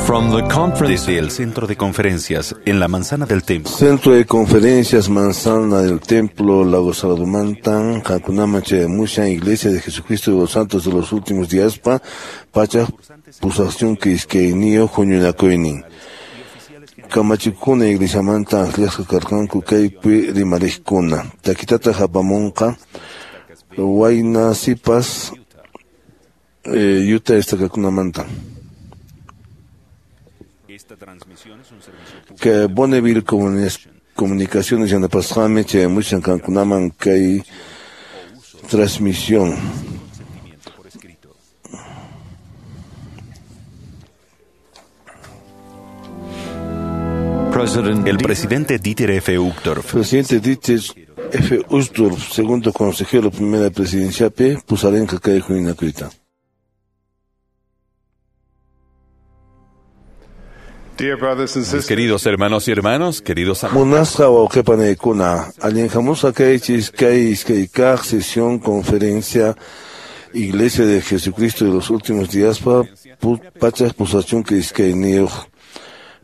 From the conference Desde el Centro de Conferencias en la Manzana del Templo. Centro de Conferencias Manzana del Templo, Lago Saladumantan, Hakunama Chayamushan, Iglesia de Jesucristo de los Santos de los Últimos Días, pa, Pacha, Pusación Quisqueynio, Juñunacoinin. Kamachikuna Iglesia Manta, Akliasqa Karkanku, Kaypi, Rimarikuna. Takitata Japamonqa, Wayna Sipas, Yuta Estakakunamanta. Que Bonneville Comunicaciones yanapasqami chayamushan kankunaman kay transmisión. El presidente Dieter F. Uchtdorf. Presidente Dieter F. Uchtdorf, segundo consejero primera presidencia P, pusarenqa kay huñunakuyta. Dear brothers and sisters, Queridos hermanos y hermanas, queridos amigos. Munasqa wawqipanaykuna, allinhamusqa kaychis kay iskay kaq sesión conferencia Iglesia de Jesucristo de los Últimos Días pa pachak pusachunka iskayniyuq.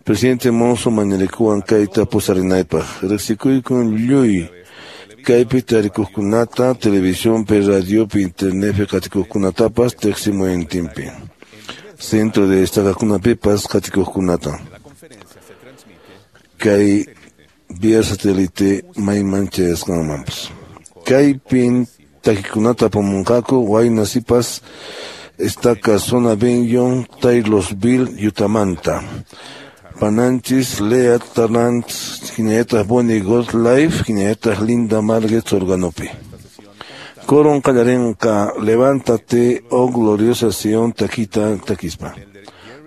Presidente Monson mañarikuwan kayta pusarinaypaq. Riqsikuykun lluy kaypi tarikuqkunata, televisionpi, radiopi, internetpi qatikuqkunatapas teqsimuynintinpi. Centro de estakakunapipas qatikuqkunata. Kay vía satélite mayman chayasqanmanpas. Kaypin takikunata apamunqaku wayna sipas estaca zona Benyon, Taylorsville, Yutamanta. Pananchis, Lea Tarrant, hinallataq Bonnie Gottlieb, hinallataq Linda Marguerite organopi. Coron qallarinqa, levántate, oh gloriosa Sion, takita takispa.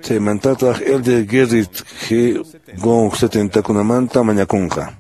Chaymantataq Elder Gerrit G. Gong 70kunamanta mañakunqa.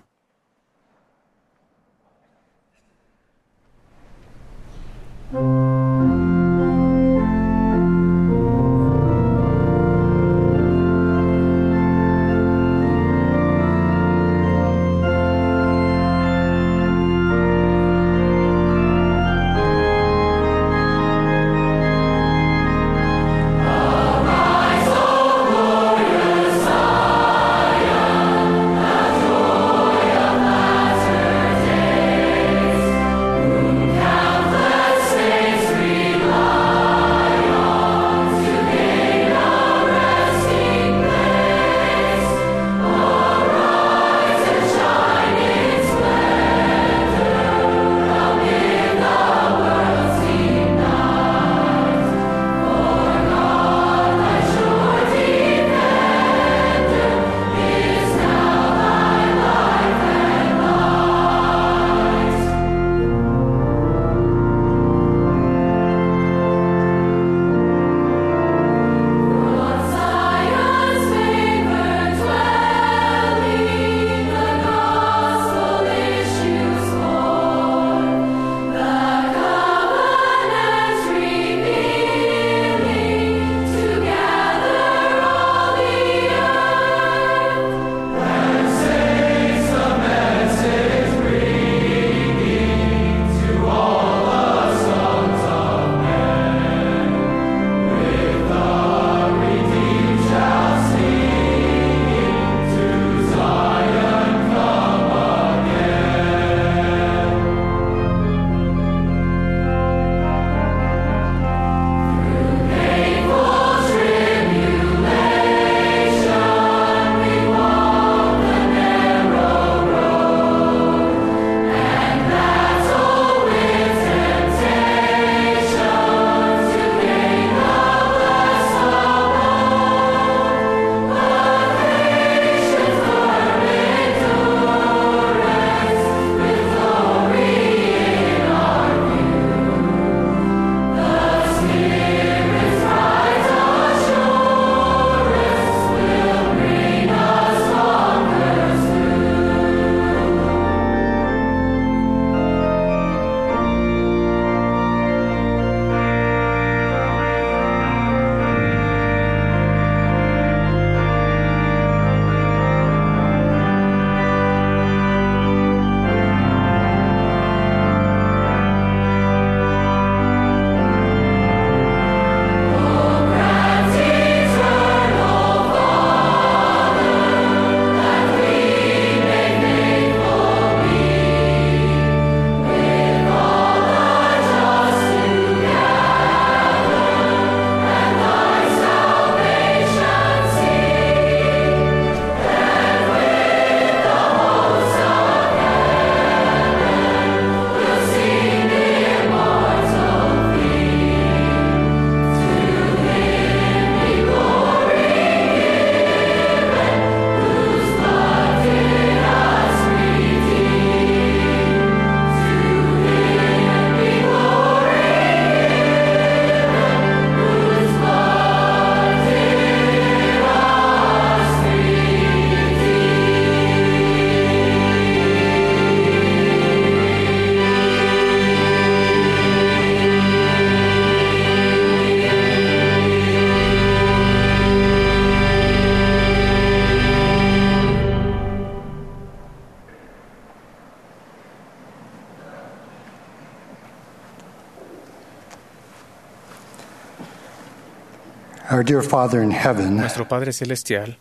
Our dear Father in heaven, Nuestro Padre Celestial,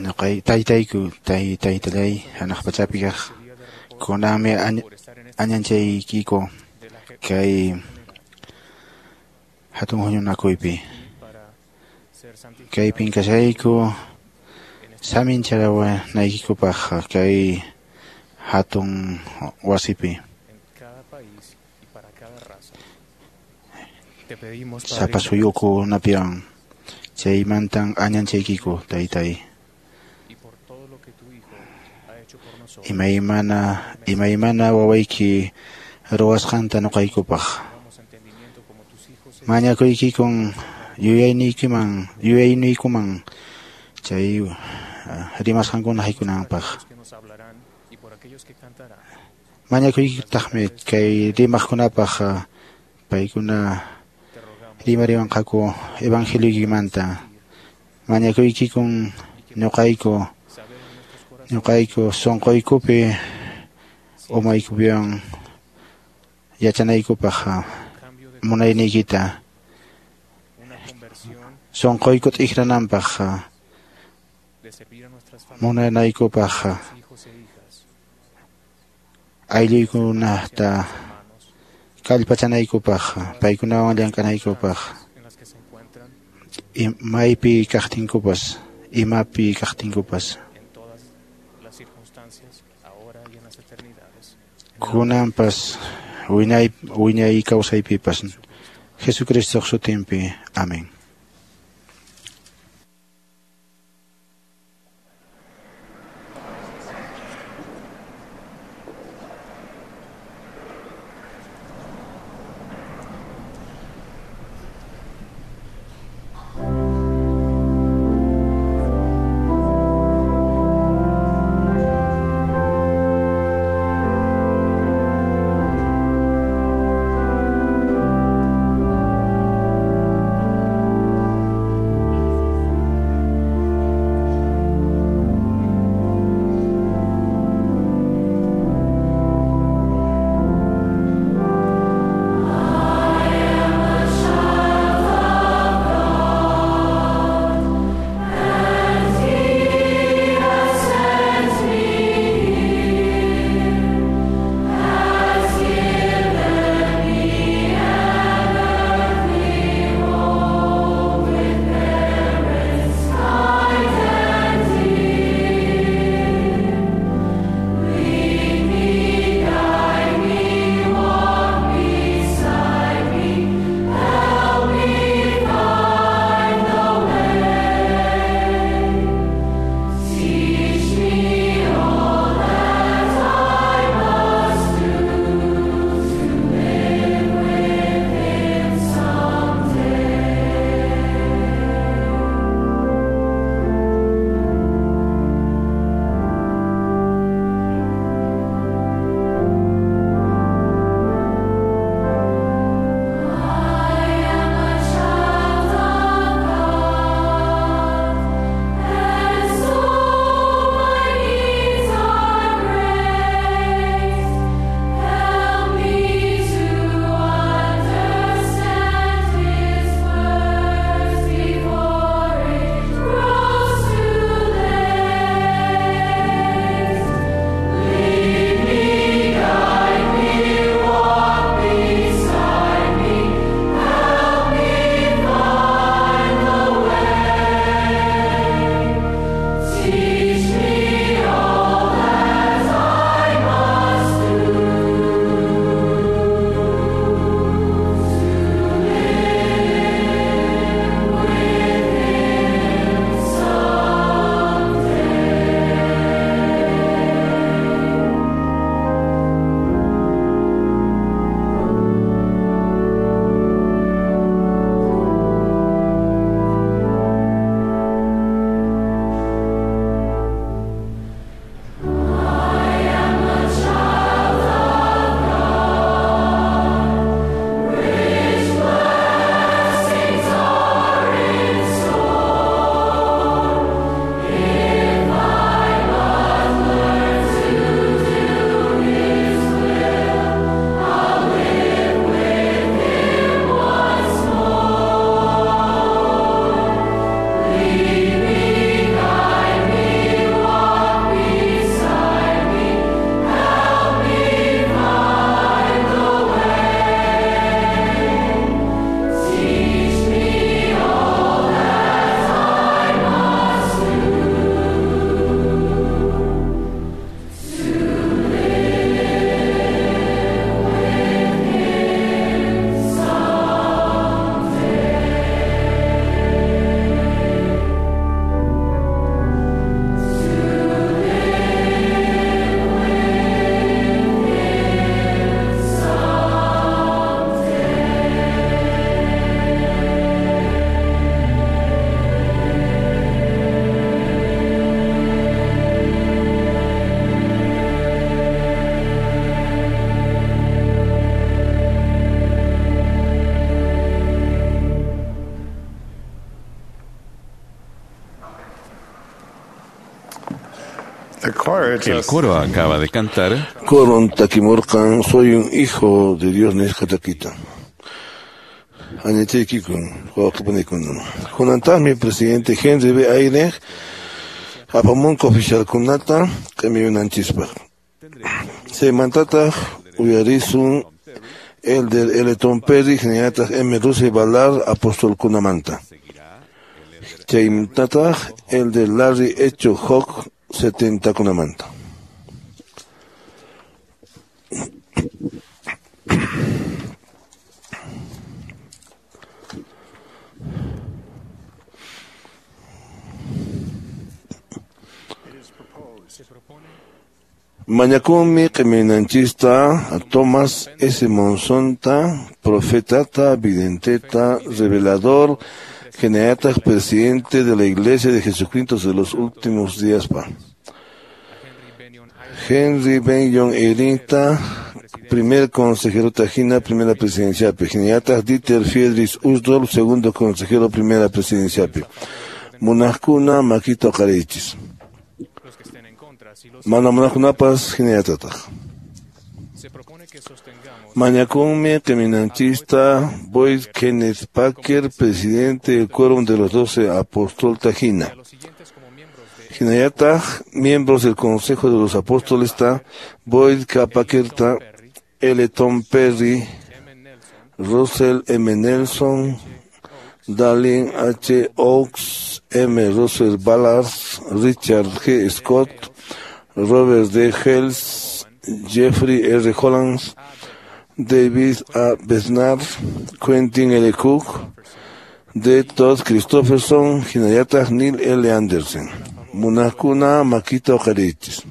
Nuqay taytayku taytallay hanaq pachapi kaq kunanmi añanchaykiku kay hatun huñunakuypi kaypin kashayku samincharawanaykikupaq kay hatun wasipi sapa suyukunapiwan chaymantan añanchaykiku taytay imaymana wawayki ruwasqanta nuqaykupaq mañakuykikun yuyayniykuman chay rimasqankuna haykunanpaq mañakuykitaqmi kay rimaqkunapaq paykuna rimariwanqaku evangelioykimanta mañakuykikun ñuqayku sunquykupi umaykupiwan yachanaykupaq munayniykita sunquyku t'ikrananpaq munanaykupaq aylluykunata kallpachanaykupaq paykunawan llank'anaykupaq maypi kaqtinkupas imapi kaqtinkupas kunanpas wiñay kawsaypipas Jesucristoq sutinpi. Amén. El coro acaba de cantar. Coron takimurqan, soy un hijo de Dios nisqa takita. Añachaykikun, wawqipanikuna. Kunantaqmi presidente Henry B. Eyring apamunqa oficialkunata q'imiyunanchispaq. Chaymantataq uyarisun Elder L. Tom Perry, hinallataq M. Russell Ballard apostolkunamanta. Chaymantataq Elder Larry H. Hawk 70kunamanta. Mañakunmi q'iminanchista a Thomas S. Monsonta, profetata, videnteta, revelador, hinallataq presidente de la Iglesia de Jesucristo de los Últimos Días pa. Henry Benyon Eyringta, primer consejero tajina, primera presidencia pe. Hinallataq Dieter Friedrich Uchtdorf, segundo consejero, primera presidencia pe. Munaqkuna makita uqariychis. Mana munaqkunapas hinallatataq. Mañakunmi q'iminanchista Boyd Kenneth Packer, presidente del Quórum de los 12 Apóstol Tajina. Hinallataq, miembros del Consejo de los Apóstoles ta Boyd K. Packer ta L. Tom Perry, Russell M. Nelson, Dallin H. Oaks, M. Russell Ballard, Richard G. Scott, Robert D. Hales, Jeffrey R. Holland, David A. Bednar, Quentin L. Cook, D. Todd Christofferson, hinallataq Neil L. Andersen. Munaqkuna makita uqariychis.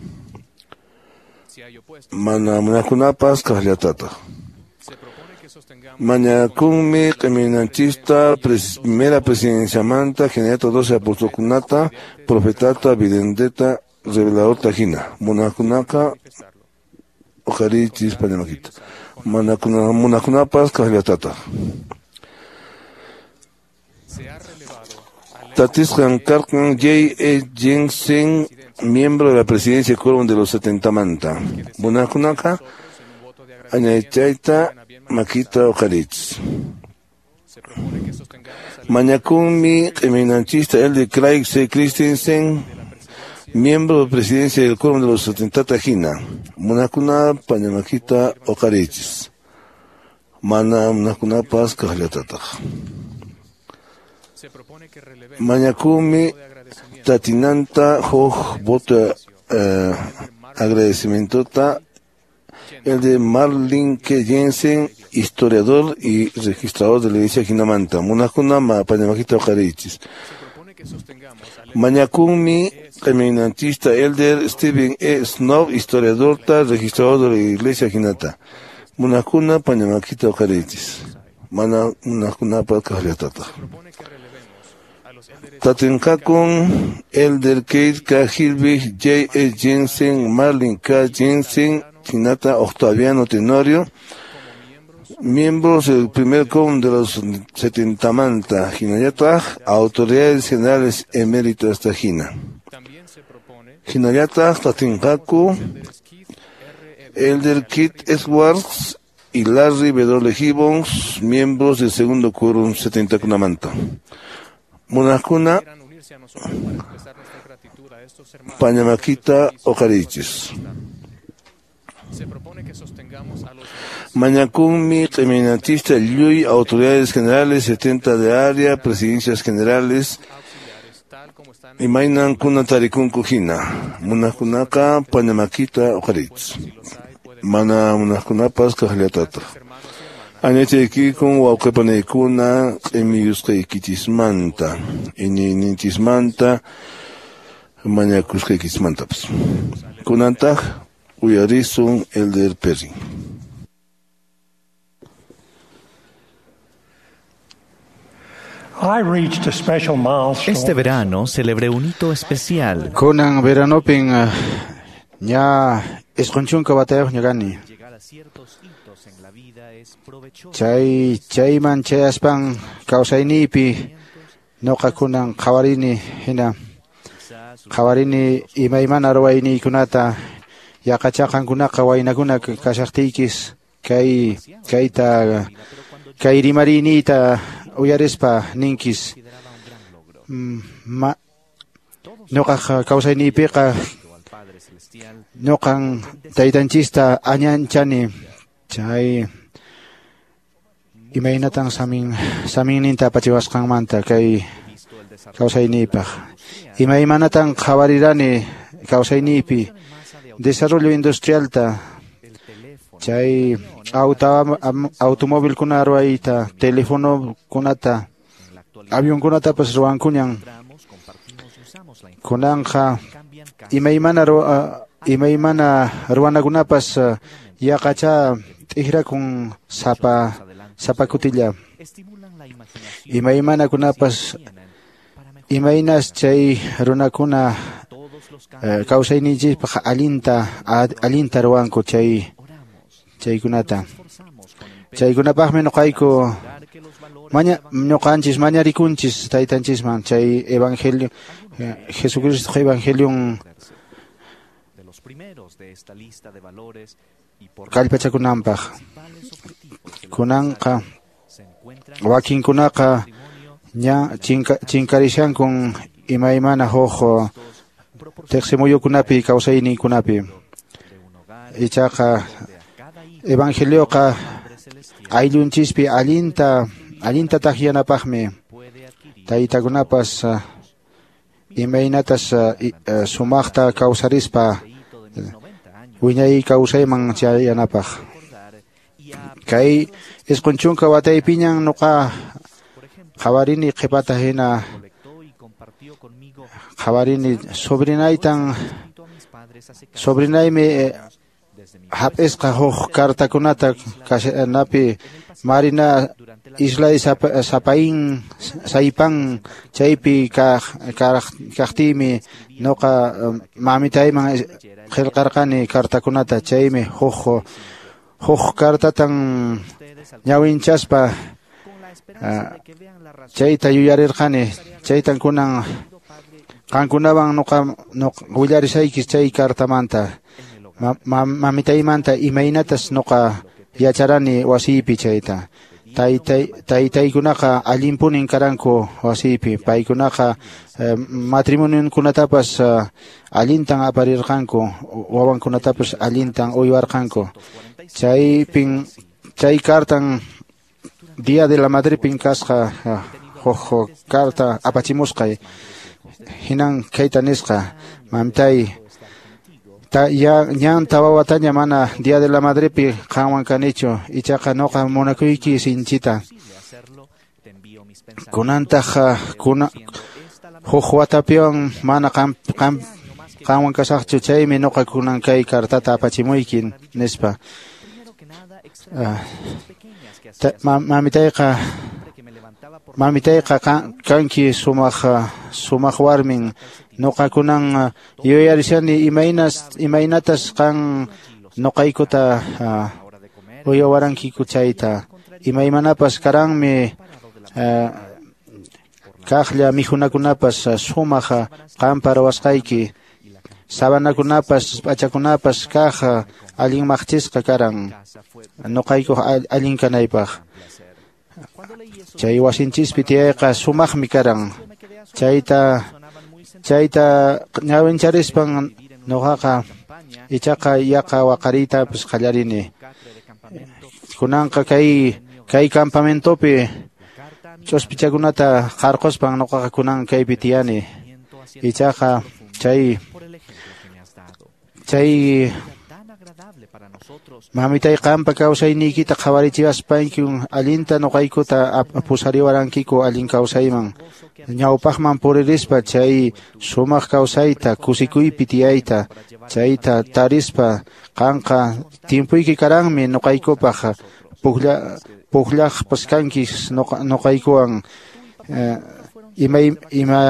Mana munaqkunapas kaqllatataq. Mañakunmi q'iminanchista primera presidenciamanta hinallataq 12 apostolkunata, profetata, videnteta, revelador tajina. Munaqkunaqa uqariychis pañamakita. Munaqkunapas kaqllatataq. Tatisqan karqan J. E. Jensen, miembro de la presidencia quórum de los 70 manta. Munaqkunaqa añaychayta makita uqariychis. Mañakunmi q'iminanchista Elder Craig C. Christensen, miembro de presidencia del quórum de los 70 tajina. Munaqkuna pañamakita uqariychis. Mana munaqkunapas kaqllatataq. Mañakunmi tatinanta huk voto agradecimientota el de Marlin K. Jensen, historiador y registrador de la iglesia Jinamanta. Munaqkuna pañamakita uqariychis. Mañakunmi q'iminanchista Elder Stephen E. Snow, historiador ta registrador de la iglesia Jinata. Munaqkuna pañamakita uqariychis. Mana munaqkunapas kaqllatataq. Tatinqakun Elder Keith K. Hilbig, J. E. Jensen, Marlin K. Jensen, Hinata Octaviano Tenorio, miembros del primer quórum de los 70 manta, hinallataq, autoridades generales eméritas tajina. Hinallataq tatinqaku Elder Keith Edwards y Larry W. Gibbons, miembros del segundo quórum 70 kunamanta. Munaqkuna pañamakita uqariychis. Mañakunmi q'iminanchista lluy autoridades generales 70 de área, presidencias generales, imaynan kuna tarikunku hina. Munaqkunaqa pañamakita uqariychis. Mana munaqkunapas kaqllatataq. Añachaykikun wawqipanaykuna q'imiyusqaykichismanta, iñiyninchismanta, mañakusqaykichismantapas. Kunantaq uyarisun Elder Perry. Este verano celebré un hito especial. Kunan veranopin ña isqunchunka watayuqña kani. Chay chayman chayaspan kawsayniypi ñuqa kunan qhawarini hina Qhawarini imaymana ruwayniykunata yaqacha qankunaqa waynakuna kashaqtiykis kay kayta kay rimariniyta uyarispa ninkis ñuqaq kawsayniypiqa ñuqan taytanchista añanchani chay imaynatan saminninta apachiwasqanmanta kay kawsayniypaq imaymanatan qhawarirani kawsayniypi desarrollo industrialta chay automóvilkuna ruwayta telefonokunata avionkunatapas ruwankuñan kunanqa imaymana ruwanakunapas yaqacha t'ikrakun sapa kutilla imaymanakunapas imaynas chay runakuna kawsayninchispaq allinta ruwanku chaykunata chaykunapaqmi ñuqayku ñuqanchis mañarikunchis taytanchisman chay evangelio Jesucristo evangelion kallpachakunanpaq kunanqa wakinkunaqa ña chinkarishankun imaymana huk teqsimuyukunapi kawsayninkunapi ichaqa evangelioqa ayllunchispi allinta takyanapaqmi taytakunapas imaynatas sumaqta kawsarispa wiñay kawsayman chayanapaq kay 90 wataypiñan ñuqa qhawarini qhipata hina qhawarini sobrinaymi hap'isqa huk kartakunata napi Marina Isla Saipan chaypi kaqtiymi ñuqa mamitayman qillqarqani kartakunata chaymi huk kartatan ñawinchaspa chayta yuyarirqani chaytan kunan qankunawan ñuqa willarishaykis chay kartamanta mamitaymanta imaynatas ñuqa yacharani wasiypi chayta taytaykunaqa allinpunin karanku wasiypi paykunaqa matrimonionkunatapas allintan aparirqanku wawankunatapas allintan uywarqanku chay kartan Día de la Madrepin kasqa huk karta apachimusqay hinan kayta nisqa mamitay ñan tawa wataña mana Día de la Madrepi qanwan kanichu ichaqa ñuqa munakuyki sinchita kunantaq huk watapiwan mana qanwan kasaqchu chaymi ñuqa kunan kay kartata apachimuyki nispa mamitayqa kanki sumaq warmin ñuqa kunan yuyarishani imaynatas qan ñuqaykuta uywarankiku chayta imaymanapas karanmi kaqlla mikhunakunapas sumaq qanpa ruwasqayki sabanakunapas p'achakunapas kaq allin maqchisqa karan ñuqaykuq allin kanaypaq chay wasinchispi tiyayqa sumaqmi karan chayta ñawincharispan ñuqaqa ichaqa yaqa waqariytapas qallarini kunanqa kay campamentopi ch'uspichakunata qarquspan ñuqaqa kunan kaypi tiyani ichaqa chay mamitay qanpa kawsayniykita qhawarichiwaspayki allinta ñuqaykuta pusariwarankiku allin kawsayman ñawpaqman puririspa chay sumaq kawsayta kusikuypi tiyayta chayta tarispa qanqa tiempuyki karanmi ñuqaykupaq pukllaqpas kankis ñuqaykuwan ima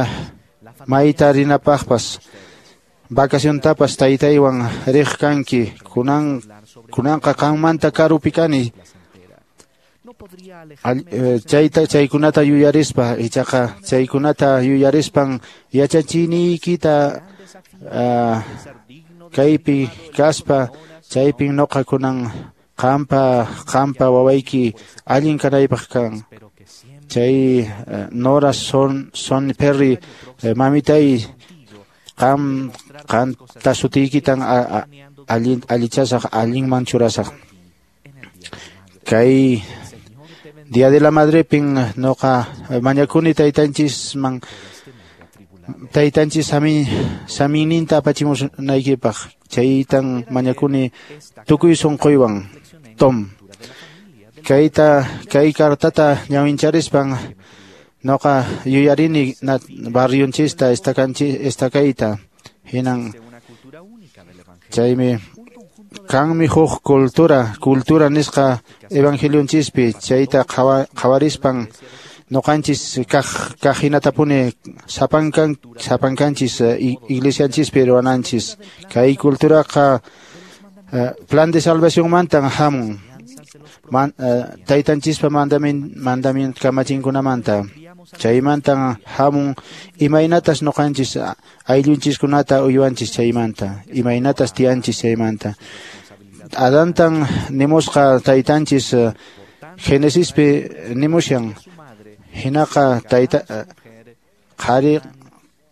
mayta rinapaqpas vacaciontapas taytaywan riq kanki kunanqa qanmanta karupi kani. Chayta chaykunata yuyarispa ichaqa chaykunata yuyarispan yachachiniykita kaypi kaspa chaypin noqa kunan qampa wawayki allin kanaypaq kan. Chay Nora Son Perry mamitay qanta sutiykitan allichasaq allinman churasaq. Kay Día de la Madrepin noqa mañakuni taytanchisman taytanchis saminninta apachimunaykipaq chaytan mañakuni tukuy sunquywan. Tom kay cartata ñawincharispan noqa yuyarini barrionchista estakayta hinan chaymi kanmi huk cultura nisqa evangelionchispi chayta qhawarispan noqanchis kaq hinatapuni sapankanchis iglesianchispi ruwananchis. Kay culturaqa plan de salvación mantan hamun taytanchispa mandamiento kamachinkunamanta chaymantan hamun imaynatas noqanchis ayllunchiskunata uywanchis chaymanta imaynatas tiyanchis chaymanta. Adantan nimusqa taytanchis Genesispi nimushan hinaqa tayta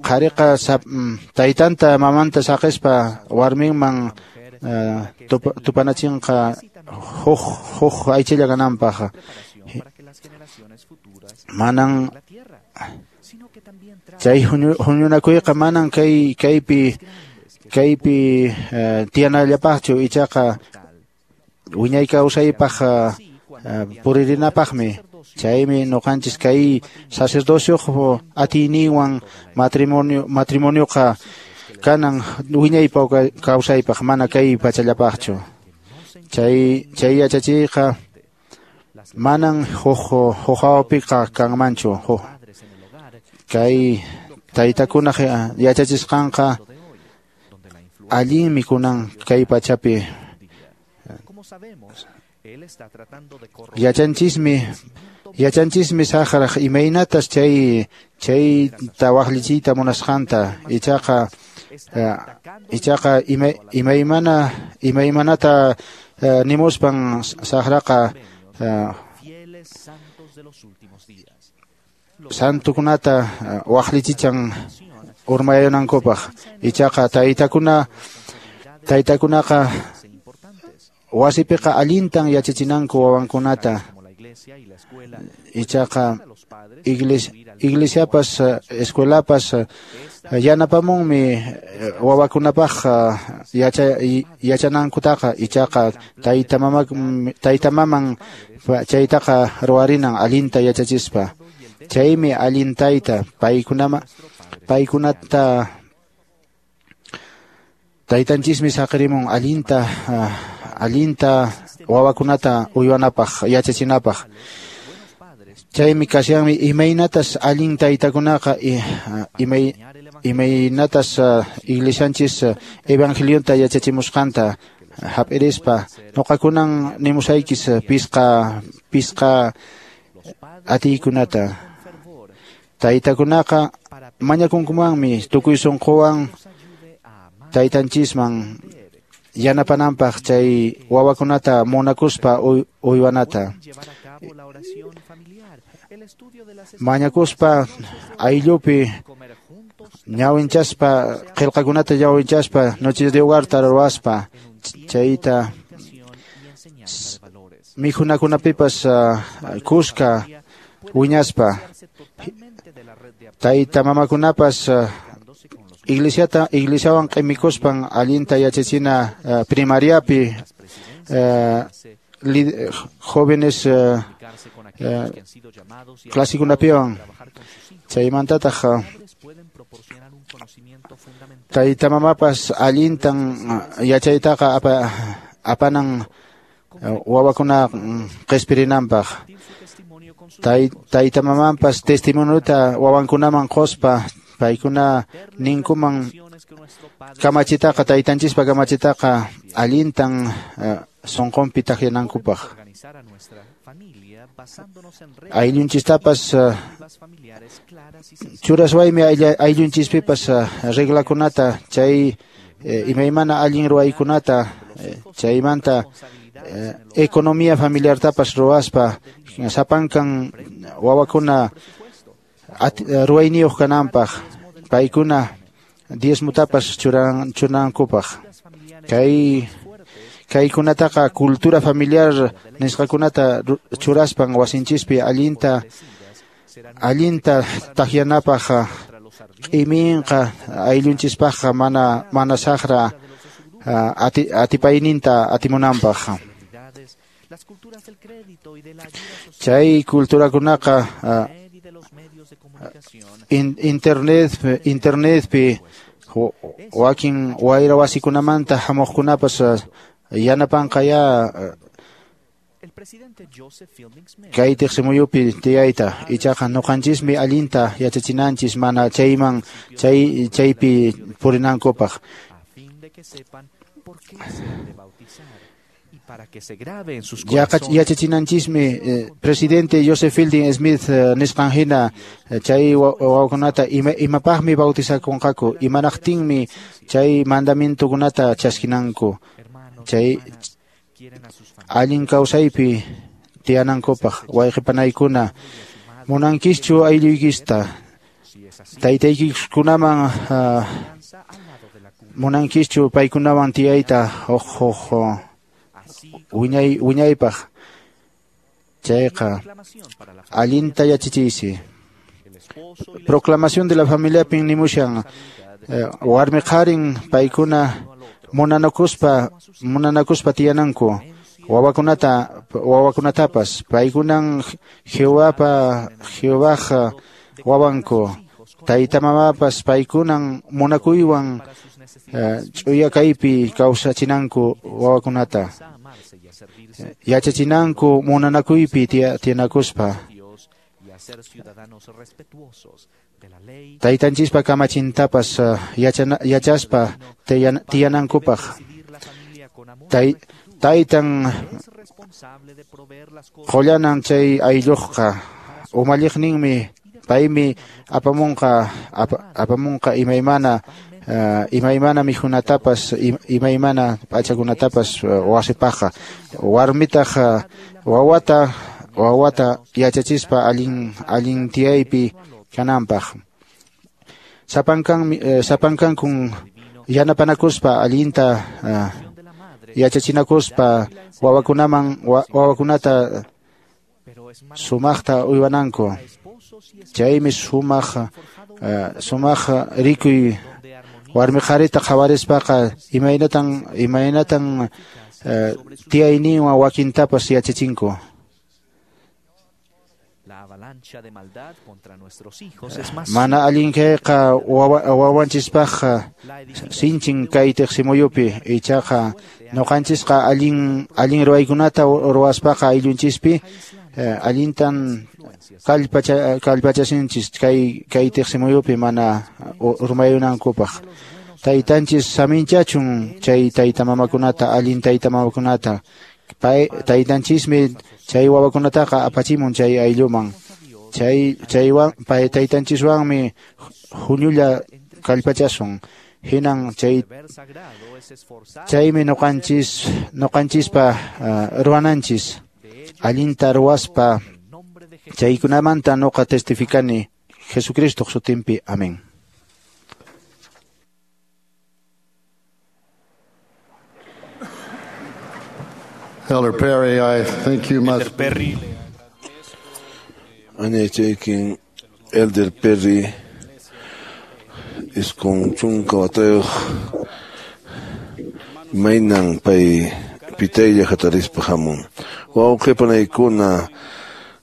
qhariqa taytanta mamanta saqispa warminman tupanachinqa huk aychilla kananpaq. Manan chay huñunakuyqa manan kaypi tiyanallapaqchu ichaqa wiñay kawsaypaq puririnapaqmi. Chaymi noqanchis kay sacerdocioq atiyninwan matrimonioqa kanan wiñaypa kawsaypaq mana kay pachallapaqchu. Chay yachachiyqa manan huk hawapiqa kanmanchu. Kay taytakunaq yachachisqanqa allinmi kunan kay pachapi. Yachanchismi saqraq imaynatas chayta waqllichiyta munasqanta ichaqa imaymanata nimuspan saqraqa santukunata waqllichichan urmayanankupaq. Ichaqa taytakunaqa wasipiqa allintan yachachinanku wawankunata. Ichaqa iglesiapas escuelapas yanapamunmi wawakunapaq yachanankutaqa. Ichaqa taytamaman chaytaqa ruwarinan allinta yachachispa. Chaymi allin tayta paykunata taytanchismi saqirimun allinta wawakunata uywanapaq yachachinapaq. Chaymi kashanmi imaynatas allin taytakunaqa imaynatas iglesianchis evangelionta yachachimusqanta hap'irispa noqakunan nimusaykis pisqa atiykunata. Taytakunaqa mañakunkumanmi tukuy sunquwan taytanchisman yanapananpaq chay wawakunata munakuspa uywanata. Mañakuspa ayllupi ñawinchaspa qillqakunata ñawinchaspa noches de hogarta ruwaspa chayta mikhunakunapipas kuska wiñaspa. Tayta mamakunapas iglesiawan q'imikuspan allinta yachachina primariapi jóvenes clasikunapiwan. Chaymantataq tayta mamapas allintan yachaytaqa apanan wawakuna qispirinanpaq. Tayta mamanpas testimoniota wawankunaman quspa paykuna ninkuman kamachitaqa taytanchispa kamachitaqa allintan sunqunpi takyanankupaq. Ayllunchistapas churaswaymi ayllunchispipas reglakunata chay imaymana allin ruwaykunata chaymanta economía familiartapas ruwaspa sapankan wawakuna ruwayniyuq kananpaq paykuna diezmutapas churanankupaq. Kaykunataqa cultura familiar nisqakunata churaspan wasinchispi allinta takyanapaq q'iminqa ayllunchispaqqa mana saqra atipayninta atimunanpaq. Chay culturakunaqa internetpi wakin wayra wasikunamanta hamuqkunapas yanapanqaya kay tiqsimuyupi tiyayta. Ichaqa nuqanchismi allinta yachachinanchis mana chayman chaypi purinankupaq. Yachachinanchismi presidente Joseph Fielding Smith nisqan hina chay wawakunata imapaqmi bautizakunqaku, imanaqtinmi chay mandamientokunata chaskinanku, chay allin kawsaypi tiyanankupaq. Wayqipanaykuna, munankischu aylluykista taytaykikunaman munankischu paykunawan tiyayta huk wiñaypaq. Chayqa allinta yachachiysi. Proclamación de la familiapin nimushan warmi qharin paykuna munanakuspa tiyananku wawakunatapas paykunan Jehovaj wawanku, tayta mamapas paykunan munakuywan ch'uya kaypi kawsachinanku wawakunata, yachachinanku munanakuypi tiyanakuspa. Taytanchispa kamachintapas yachaspa tiyanankupaq. Taytan qullanan chay aylluqqa umalliqninmi paymi apamunqa imaymana mikhunatapas imaymana p'achakunatapas wasipaqqa. Warmitaq wawata yachachispa allin tiyaypi kananpaq. Sapankankun yanapanakuspa allinta yachachinakuspa wawakunata sumaqta uywananku. Chaymi sumaq rikuy warmi qharita qhawarispaqa imaynatan tiyayninwan wakintapas yachachinku. Mana allin kayqa wawanchispaqqa sinchin kay tiqsimuyupi. Ichaqa nuqanchisqa allin ruwaykunata ruwaspaqa ayllunchispi allintan kallpachasinchis kay tiqsimuyupi mana urmayunankupaq. Taytanchis saminchachun chay tayta mamakunata, allin tayta mamakunata. Taytanchismi chay wawakunataqa apachimun chay aylluman. Chaywan taytanchiswanmi huñulla kallpachasun. Hinan chaymi nuqanchispa ruwananchis. Allinta ruwaspa chaykunamanta nuqa testificani Jesucristo sutinpi. Amén. Elder Perry, I think you must. Elder Perry. Añaychaykin Elder Perry iskun chunka watayuq maynan pay pitaylla hatarispa hamun. Wawqipanaykuna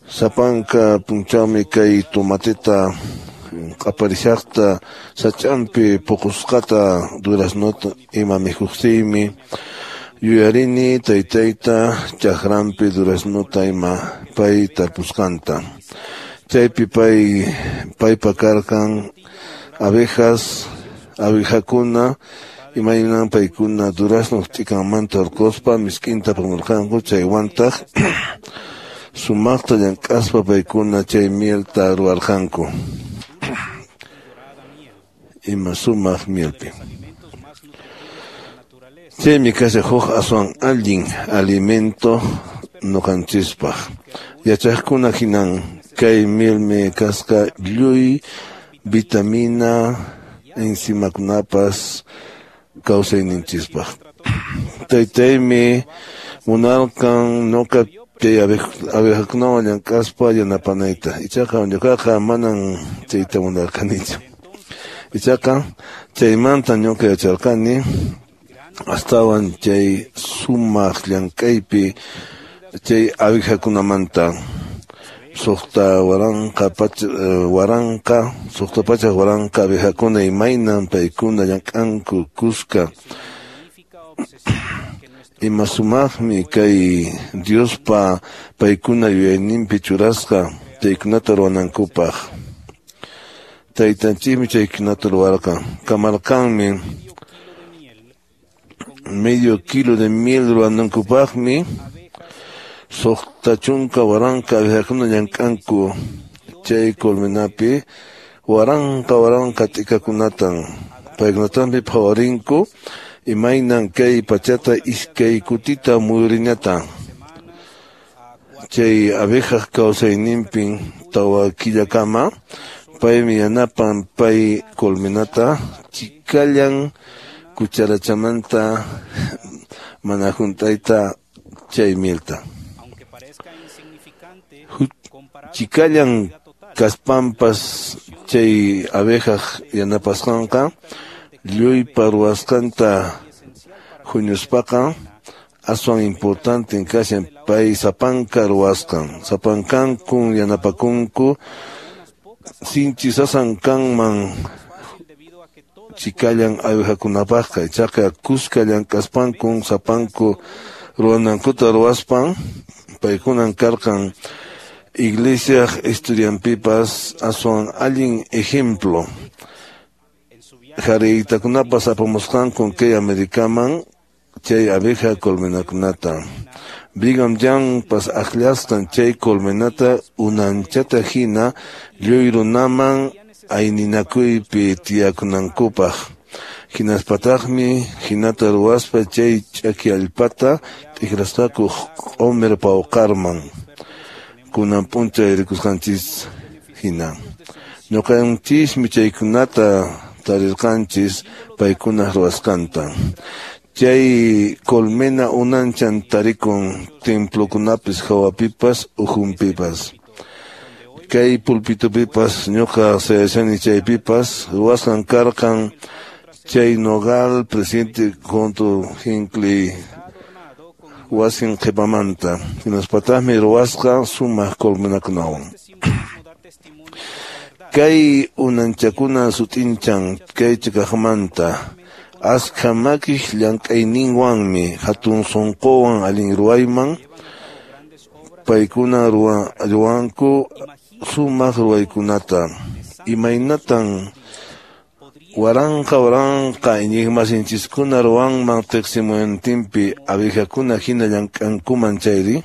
sapanka punchawmi kay tomateta q'aparishaqta sach'anpi puqusqata duraznota ima mikhuqtiymi yuyarini taytayta chakranpi duraznota ima pay tarpusqanta. Chaypi paypa karqan abejas, abejakuna Imaynan paykuna durazno t'ikanmanta hurquspa misk'inta apamurqanku chaywantaq sumaqta llank'aspa paykuna chay mielta ruwarqanku. Ima sumaq mielpi. Chaymi kashan huk aswan allin alimento ñuqanchispaq. Yachaqkuna hinan kay mielmi kasqa lluy vitamina enzimakunapas kawsayninchispaq. Taytaymi munarqan ñuqa chay abejakunawan llank'aspa yanapanayta. Ichaqa ñuqaqa manan chayta munarqanichu. Ichaqa chaymanta ñuqa yacharqani astawan chay sumaq llank'aypi chay abejakunamanta suqta pachak waranqa abejakuna imaynan paykuna llank'anku kuska. Ima sumaqmi kay Diospa paykuna yuyayninpi churasqa chaykunata ruwanankupaq. Taytanchikmi chaykunata ruwarqan. Kamarqanmi medio kilo de miel ruwanankupaqmi 60,000 abejakuna llank'anku chay colmenapi waranqa waranqa t'ikakunatan paykunatanpi phawarinku imaynan kay pachata iskay kutita muyurinata. Chay abejaq kawsayninpin 4 killakama paymi yanapan pay colmenata chikallan cucharachamanta mana hunt'ayta chay mielta. Chikallan kaspanpas chay abejaq yanapasqanqa lluypa ruwasqanta huñuspaqa aswan importante kashan pay sapanka ruwasqan. Sapankankun yanapakunku sinchi sasan kanman chikallan abejakunapaqqa. Ichaqa kuska llank'aspankun sapanku ruwanankuta ruwaspan paykunan karqan iglesiaq historianpipas aswan allin ejemplo. Jariytakunapas apamusqankun kay Americaman chay abeja colmenakunata. Brigham Youngpas akllasqan chay colmenata unanchata hina lluy runaman ayninakuypi tiyakunankupaq. Hinaspataqmi hinata ruwaspa chay ch'aki allpata t'ikrasqaku q'umir pawqarman. Kunan p'unchay rikusqanchis hina. Ñuqanchismi chaykunata tarirqanchis paykunaq ruwasqanta. Chay colmena unanchan tarikun templokunapis hawapipas ukhunpipas. Kay pulpitupipas ñuqa sayashani chaypipas ruwasqan karqan chay nogal presidente junto Hinckley wasin qhipamanta. Hinaspataqmi ruwasqa sumaq colmenakunawan. Kay unanchakuna sut'inchan kay chikaqmanta askha makiq llank'ayninwanmi hatun sunquwan allin ruwayman paykuna ruwanku sumaq ruwaykunata. Imaynatan waranqa waranqa iñiqmasinchiskuna ruwanman tiqsimuyuntinpi abejakuna hina llank'ankuman chayri?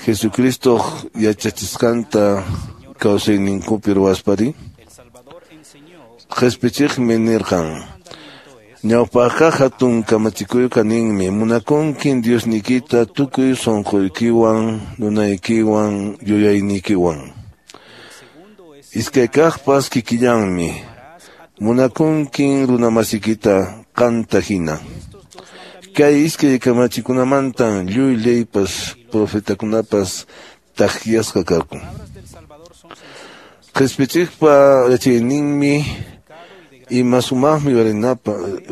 Jesucristoq yachachisqanta kawsayninkupi ruwaspari? Qhispichiqmi nirqan: Ñawpaqqa hatun kamachikuyqa ninmi munakunkin Diosniykita tukuy sunquykiwan, nunaykiwan, yuyayniykiwan. Iskaykaqpas kikillanmi munakunkin runamasikita qanta hina. Kay iskay kamachikunamantan lluy leypas profetakunapas takyasqa karqun. Qhispichiqpa yachayninmi ima sumaqmi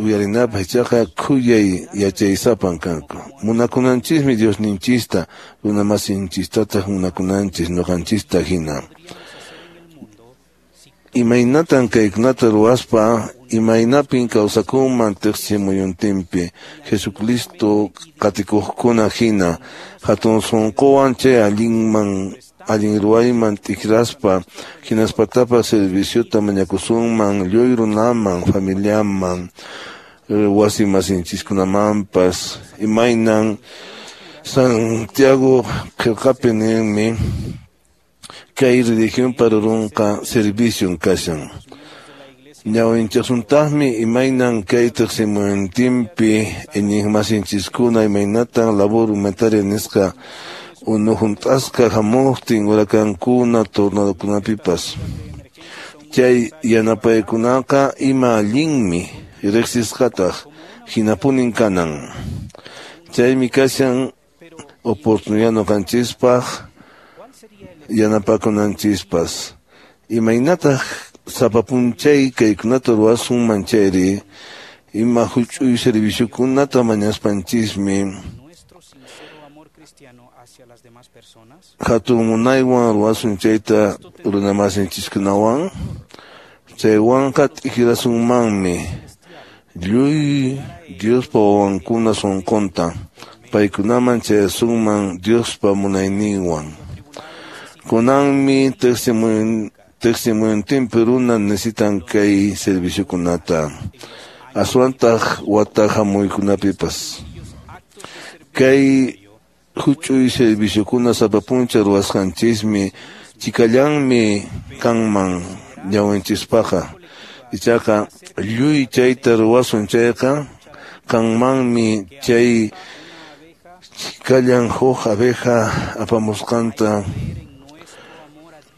uyarinapaq ichaqa khuyay yachaysapan kanku. Munakunanchismi Diosninchista, runamasinchistataq munakunanchis ñuqanchista hina. Imaynatan kaykunata ruwaspa imaynapin kawsakunman tiqsimuyuntinpi Jesucristo qatikuqkuna hina hatun sunquwan chay allinman allin ruwayman t'ikraspa hinaspatapas serviciota mañakusunman lluy runaman, familiaman, wasi masinchiskunamanpas. Imaynan Santiago qillqapi ninmi kay religión parurunqa servicion kashan. Ñawinchasuntaqmi imaynan kay tiqsimuynintinpi iñiqmasinchiskuna imaynatan labor humanitaria nisqa unu hunt'asqa hamuqtin hurakankuna tornadokunapipas. Chay yanapaykunaqa ima allinmi riqsisqataq hinapunin kanan. Chaymi kashan oportunidad ñuqanchispaq yanapakunanchispas. Imaynataq sapa p'unchay kaykunata ruwasunman chayri ima huch'uy serviciokunata mañaspanchismi hatun munaywan ruwasun chayta runamasinchiskunawan chaywanqa t'ikrasunmanmi lluy Diospa wawankuna sunqunta paykunaman chayasunman Diospa munayninwan. Kunanmi tiqsimuynintinpi runa necesitan kay serviciokunata aswantaq wata hamuykunapipas. Kay huch'uy serviciokuna sapa p'unchay ruwasqanchismi chikallanmi kanman ñawinchispaqqa. Ichaqa lluy chayta ruwasun chayqa kanmanmi chay chikallan huk abeja apamusqanta.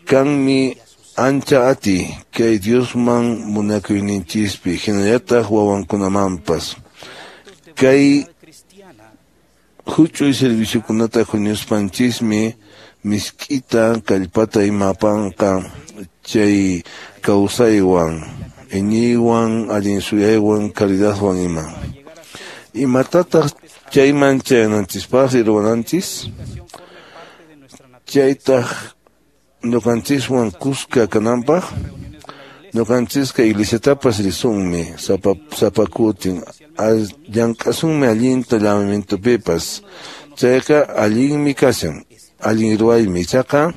Kanmi ancha ati kay Diosman munakuyninchispi hinallataq wawankunamanpas. Kay huch'uy serviciokunata huñuspanchismi misk'ita kallpata ima apanqa chay kawsaywan, iñiywan, allin suyaywan, caridadwan ima. Imatataq chayman chayananchispaqri ruwananchis? Chaytaq ñuqanchiswan kuska kananpaq ñuqanchisqa iglesiatapas risunmi sapa kutin llank'asunmi allinta llamamientopipas. Chayqa allinmi kashan, allin ruwaymi. Ichaqa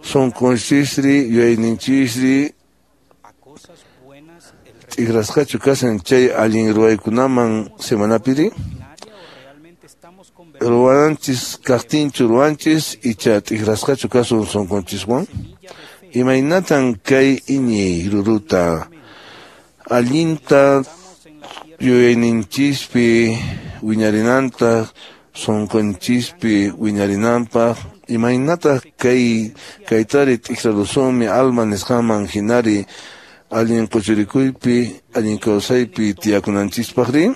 sunqunchisri yuyayninchisri t'ikrasqachu kashan chay allin ruwaykunaman semanapiri? Ruwananchis kaqtinchu ruwanchis icha t'ikrasqachu kasun sunqunchiswan? Imaynatan kay iñiy ruruta allinta yuyayninchispi wiñarinantaq sunqunchispi wiñarinanpaq? Imaynataq kaytari t'ikrarusunmi alma nisqanman hinari allin quchurikuypi allin kawsaypi tiyakunanchispaqri?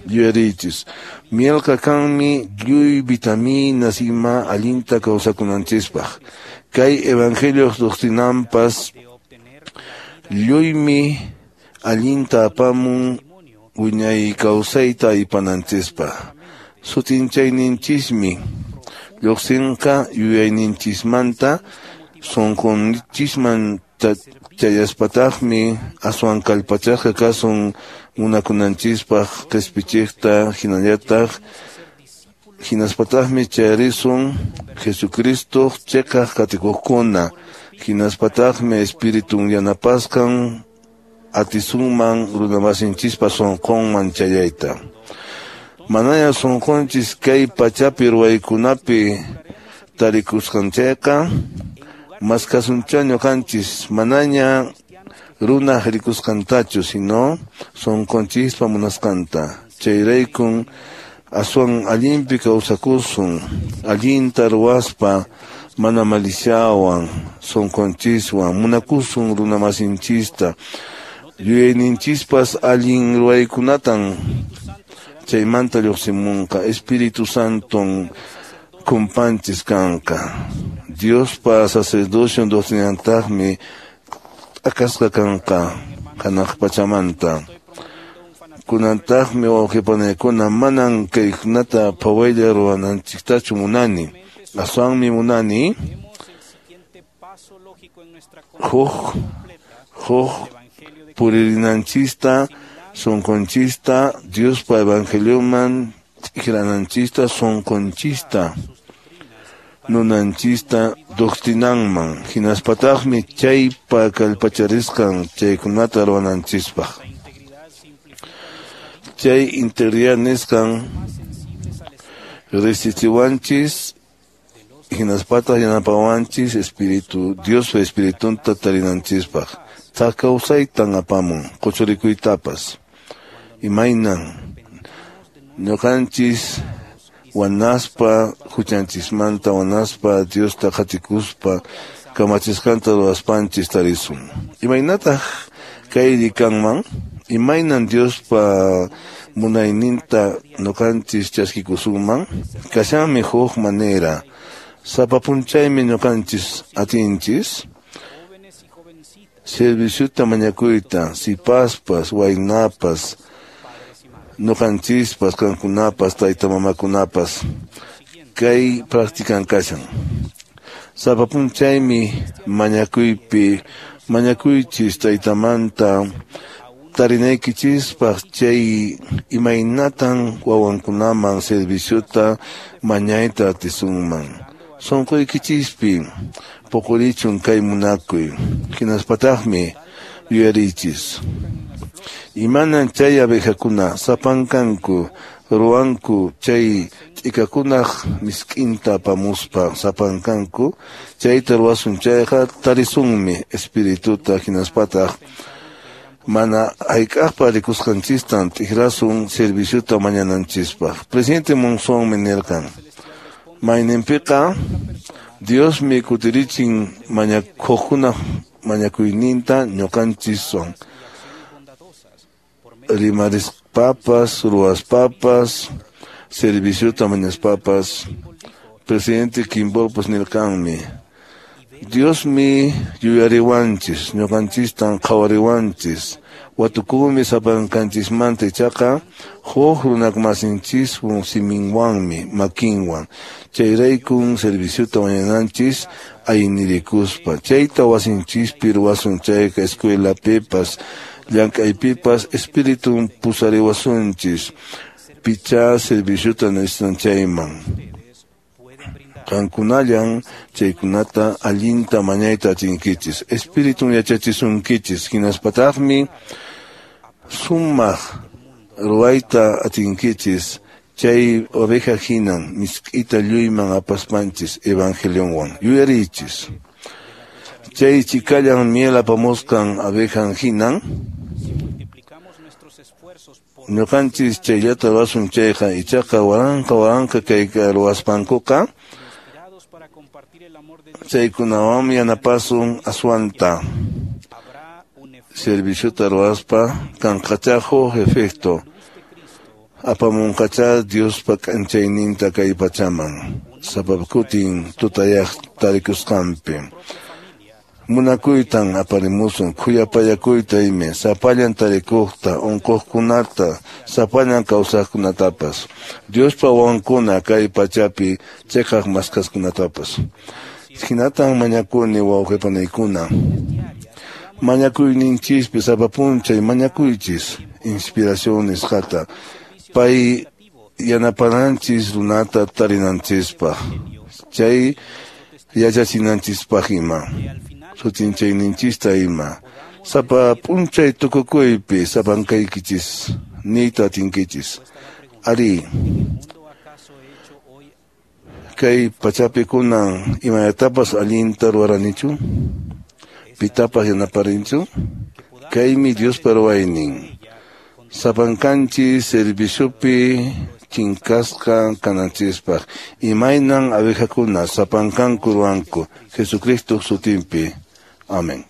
Yuyariychis, mielqa kanmi lluy vitaminas ima allinta kawsakunanchispaq. Kay evangelio doctrinanpas lluymi allinta apamun wiñay kawsayta aypananchispaq. Sutinchayninchismi lluqsinqa yuyayninchismanta sunqunchisman chayaspataqmi aswan kallpachasqa kasun munakunanchispaq qispichiqta hinallataq hinaspataqmi chayarisun Jesucristo chiqaq qatikuqkuna hinaspataqmi Espiritun yanapasqan atisunman runamasinchispa sunqunman chayayta. Manaña sunqunchis kay pachapi ruwaykunapi tarikusqan chayqa maskasuncha ñuqanchis manaña runaq rikusqantachu sino sunqunchispa munasqanta. Chayraykun aswan allinpi kawsakusun allinta ruwaspa mana maliciawan sunqunchiswan munakusun runamasinchista yuyayninchispas allin ruwaykunatan chaymanta lluqsimunqa. Espíritu Santon kumpanchis kanqa. Diospa sacerdocio doctrinantaqmi t'akasqa kanqa hanaq pachamanta. Kunantaqmi wawqipanaykuna manan kaykunata phawaylla ruwananchiktachu munani. Aswanmi munani huk puririnanchista sunqunchista Diospa evangelioman t'ikrananchista sunqunchista nunanchista doctrinanman hinaspataqmi chaypa kallpacharisqan chaykunata ruwananchispaq. Chay integridad nisqan risichiwanchis hinaspataq yanapawanchis espíritu Diospa espiritunta tarinanchispaq. Thak kawsaytan apamun quchurikuytapas. Imaynan ñuqanchis wanaspa huchanchismanta wanaspa Diosta qatikuspa kamachisqanta ruwaspanchis tarisun. Imaynataq kayri kanman? Imaynan Diospa munayninta ñuqanchis chaskikusunman? Kashanmi huk manera. Sapa p'unchaymi ñuqanchis atinchis serviciota mañakuyta sipaspas waynapas ñuqanchispas qankunapas tayta mamakunapas kay practican kashan. Sapa p'unchaymi mañakuypi mañakuychis taytamanta tarinaykichispaq chay imaynatan wawankunaman serviciota mañayta atisunman. Sunquykichispi puqurichun kay munakuy hinaspataqmi yuyarichis. Imanan chay abejakuna sapankanku ruwanku chay t'ikakunaq misk'inta apamuspa sapankanku chayta ruwasun chayqa tarisunmi espirituta hinaspataq mana hayk'aqpa rikusqanchistan t'ikrasun serviciota mañananchispaq. Presidente Monsonmi nirqan mayninpiqa Diosmi kutirichin mañakuqkunaq mañakuyninta ñuqanchiswan rimarispapas ruwaspapas serviciota mañaspapas. Presidente Kimballpas nirqanmi Diosmi yuyariwanchis ñuqanchistan qhawariwanchis watukunmi sapankanchismanta ichaqa huk runamasinchiswan siminwanmi makinwan chayraykun serviciota mañananchis aynirikuspa chayta wasinchispi ruwasun chayqa escuelapipas llank'aypipas espiritun pusariwasunchis pichá serviciota necesitan chayman. Qankunallan chaykunata allinta mañayta atinkichis espiritun yachachisunkichis hinaspataqmi sumaq ruwayta atinkichis chay oveja hinan misk'ita lluyman apaspanchis evangelionwan yuyarichis. Chay chikallan miel apamusqan abejan hinan ñuqanchis chayllata ruwasun chayqa ichaqa waranqa waranqa kayka ruwaspankuqa chaykunawanmi yanapasun aswanta serviciota ruwaspa kanqachá huk efecto apamunqachá Diospa k'anchayninta kay pachaman sapa kutin tutayaq tarikusqanpi. Munakuytan aparimusun khuyapayakuyta imi sapallan tarikuqta unquqkunata sapallan kawsaqkunatapas Diospa wawankuna kay pachapi chiqaq maskaskunatapas. Hinatan mañakuni wawqipanaykuna mañakuyninchispi sapa p'unchay mañakuychis inspiración nisqata pay yanapananchis runata tarinanchispaq chay yachachinanchispaq ima sutinchayninchista ima sapa p'unchay tukukuypi sapankaykichis niyta atinkichis. Ari kay pachapi kunan imayatapas allinta ruwaranichu pitapas yanaparinchu kaymi Diospa ruwaynin sapankanchis serviciopi chinkasqa kananchispaq imaynan abejakuna sapankanku ruwanku Jesucristo sutinpi. Amén.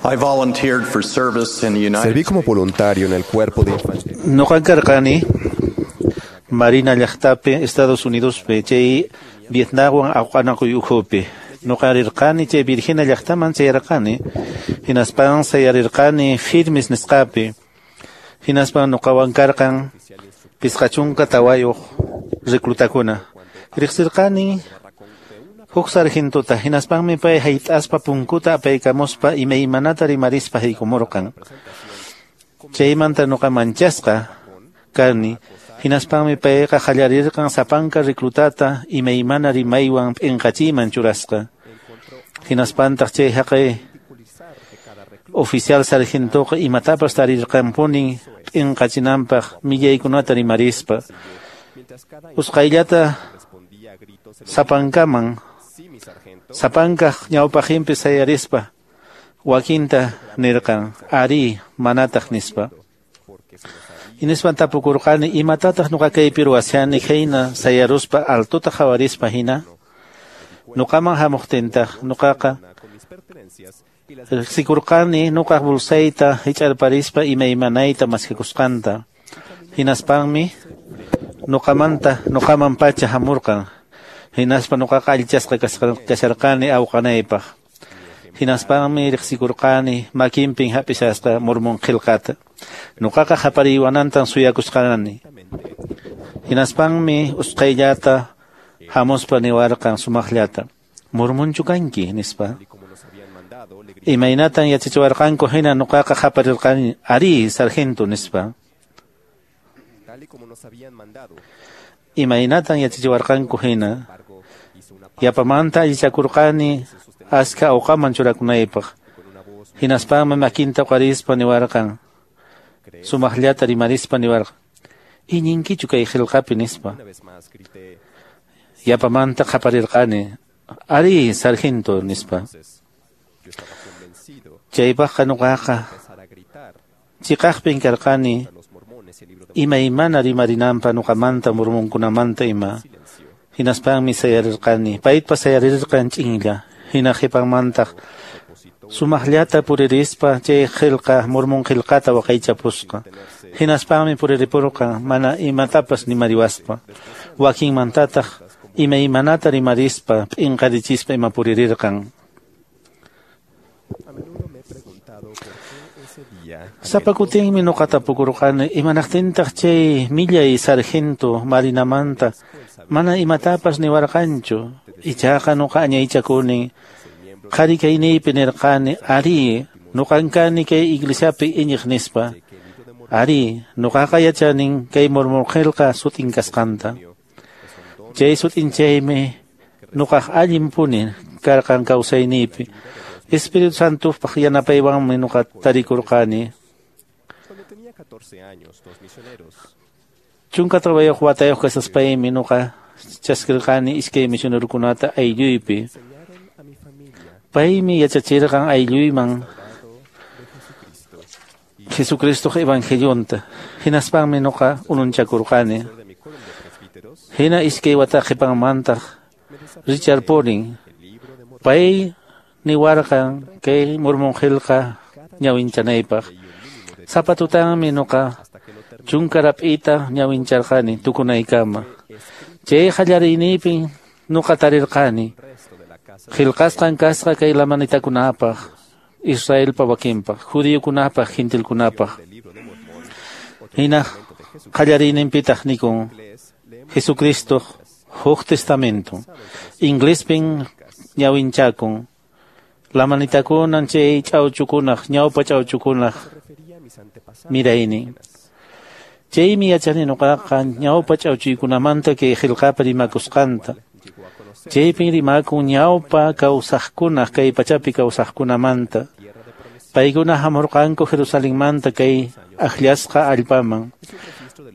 I volunteered for service in the United Serví como voluntario en el cuerpo de infantería. Ñuqan karqani Marina llaqtapi Estados Unidos chay Vietnamwan awqanakuy ukhupi. Ñuqa rirqani chay Virginia llaqtaman chayarqani hinaspan sayarirqani firmes nisqapi hinaspan ñuqawan karqan 54 reclutakuna. Riqsirqani Huk sargentota hinaspanmi pay hayt'aspa punkuta apaykamuspa imaymanata rimarispa haykumurqan. Chaymanta nuqa manchasqa kani, hinaspanmi payqa qallarirqan sapanka reclutata imaymana rimaywan p'inqachiyman churasqa. Hinaspantaq chay haqay oficial sargentoqa imatapas tarirqanpunin p'inqachinanpaq millaykunata rimarispa. Usqhayllata sapankaman sapankaq ñawpaqinpi sayarispa wakinta nirqan ari manataq nispa. Hinispan tapukurqani imatataq nuqa kaypi ruwashani khayna sayaruspa altota qhawarispa hina. Nuqaman hamuqtintaq nuqaqa riqsikurqani nuqaq bolsayta hich'arparispa imaymanayta maskakusqanta. Hinaspanmi nuqamanta nuqaman pacha hamurqan. Hinaspa nuqaqa allichasqa kasharqani awqanaypaq. Hinaspanmi riqsikurqani makinpin hap'ishasqa Mormón qillqata. Nuqaqa hapariwanantan suyakusqani. Hinaspanmi usqhayllata hamuspa niwarqan sumaqllata. Mormonchu kanki nispa. Imaynatan yachachiwarqanku hina nuqaqa haparirqani ari sargento nispa. Imaynatan yachachiwarqanku hina yapamanta allichakurqani aska awqaman churakunaypaq. Hinaspanmi makinta uqarispa niwarqan. Sumaqllata rimarispa niwarqan. Iñinkichu kay qillqapi nispa. Yapamanta qaparirqani ari sargento nispa. Chaypaqqa nuqaqa chiqaqpin karqani imaymana rimarinanpa nuqamanta mormonkunamanta ima. Hinaspanmi sayarirqani paypa sayarirqan ch'inlla. Hina qhipanmantaq sumaqllata puririspa chay qillqa mormón qillqata waqaychapusqa. Hinaspanmi puriripurqan mana imatapas nimariwaspa. Wakinmantataq imaymanata rimarispa p'inqarichispa ima puririrqan. Sapa kutinmi nuqa tapukurqani imanaqtintaq chay millay sargento marinamanta mana imatapas niwarqanchu. Ichaqa nuqa añaychakuni qhari kayniypi nirqani ari nuqan kani kay iglesiapi iñiq nispa. Ari nuqaqa yachanin kay Mormón qillqa sutin kasqanta. Chay sutinchaymi nuqaq allinpuni karqan kawsayniypi. Espíritu Santopaq yanapaywanmi nuqa tarikurqani. 14 watayuq kasaspaymi nuqa chaskirqani iskay misionerokunata aylluypi. Paymi yachachirqan aylluyman Jesucristoq evangelionta. Hinaspanmi nuqa ununchakurqani. Hina iskay wata qhipanmantaq Richard Poring pay niwarqan kay Mormón qillqa ñawinchanaypaq. Sapa tutanmi nuqa chunka rap'ita ñawincharqani tukunaykama. Chay qallariyniypin nuqa tarirqani qillqasqan kasqa kay lamanitakunapaq, Israelpa wakinpaq, judiokunapaq, gentilkunapaq. Hina qallariyninpitaq nikun Jesucristo huk testamento. Inglespin ñawinchakun. Lamanitakunan chay ch'awchukunaq, ñawpa ch'awchukunaq miraynin. Chaymi yachani nuqaqa ñawpa ch'awchuykunamanta kay qillqapi rimakusqanta. Chaypin rimakun ñawpa kawsaqkunaq kay pachapi kawsaqkunamanta. Paykuna hamurqanku Jerusalenmanta kay akllasqa allpaman.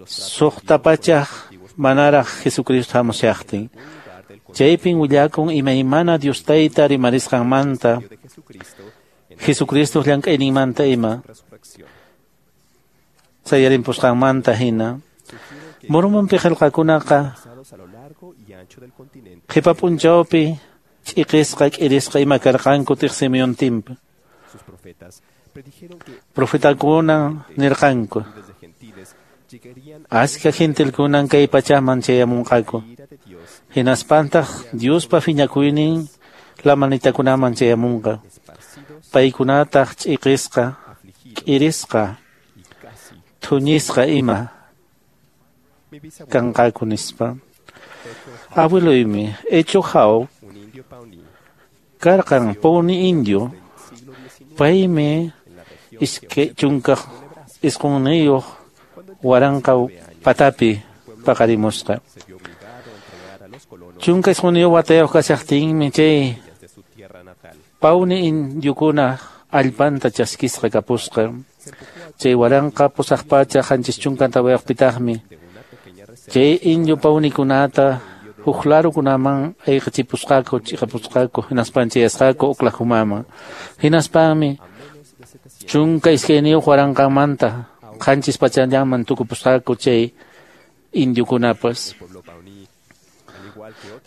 Suqta pachaq manaraq Jesucristo hamushaqtin. Chaypin willakun imaymana Dios tayta rimarisqanmanta, Jesucristo llank'ayninmanta ima, sayarinpusqanmanta hina. Mormonpi qillqakunaqa qhipa p'unchawpi ch'iqisqa k'irisqa ima karqanku tiqsimuyuntinpi. Profetakuna nirqanku aska gentilkunan kay pachaman chayamunqaku. Hinaspantaq Diospa phiñakuynin lamanitakunaman chayamunqa. Paykunataq ch'iqisqa, k'irisqa, thuñisqa ima kanqaku nispa. Abueloymi Hecho Jau Karqan Pawnee indio, paymi 29 waranqa patapi paqarimusqa. 19 watayuq kashaqtinmi chay Pawnee indiokuna allpanta chaskisqa kapusqa. Chay 1874pitaqmi chay indio pawnikunata huk larukunaman ayqichipusqaku, chiqapusqaku, hinaspan chayasqaku Oklahomaman. Hinaspanmi 12 waranqamanta 700llaman tukupusqaku chay indiokunapas.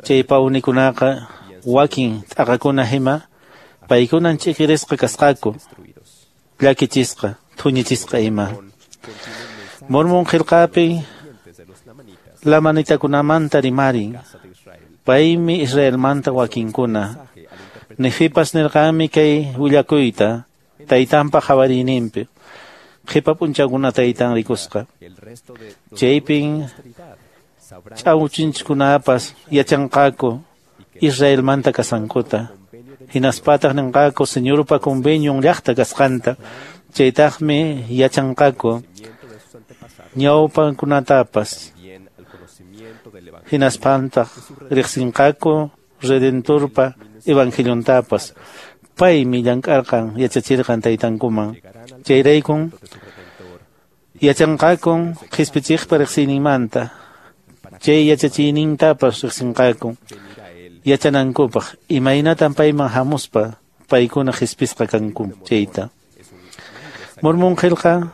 Chay pawnikunaqa wakin t'aqakuna hima paykunan ch'iqirisqa kasqaku, llakichisqa, thuñichisqa ima. Mormón qillqapi lamanitakunamanta rimarin, paymi Israelmanta wakinkuna. Nefipas nirqanmi kay willakuyta taytanpa qhawariyninpi, qhipa p'unchawkuna taytan rikusqa. Chaypin ch'awchinchikunapas yachanqaku Israelmanta kasqankuta. Hinaspataq ninqaku Señorpa convenion llaqta kasqanta. Chaytaqmi yachanqaku ñawpankunatapas. Hinaspantaq riqsinqaku Redentorpa evangeliontapas. Paymi llank'arqan yachachirqan taytankuman. Chayraykun yachanqakun qhispichiqpa riqsiyninmanta. Chay yachachiynintapas riqsinqaku yachanankupaq imaynatan payman hamuspa paykuna qhispisqa kanku chayta. Mormón qillqa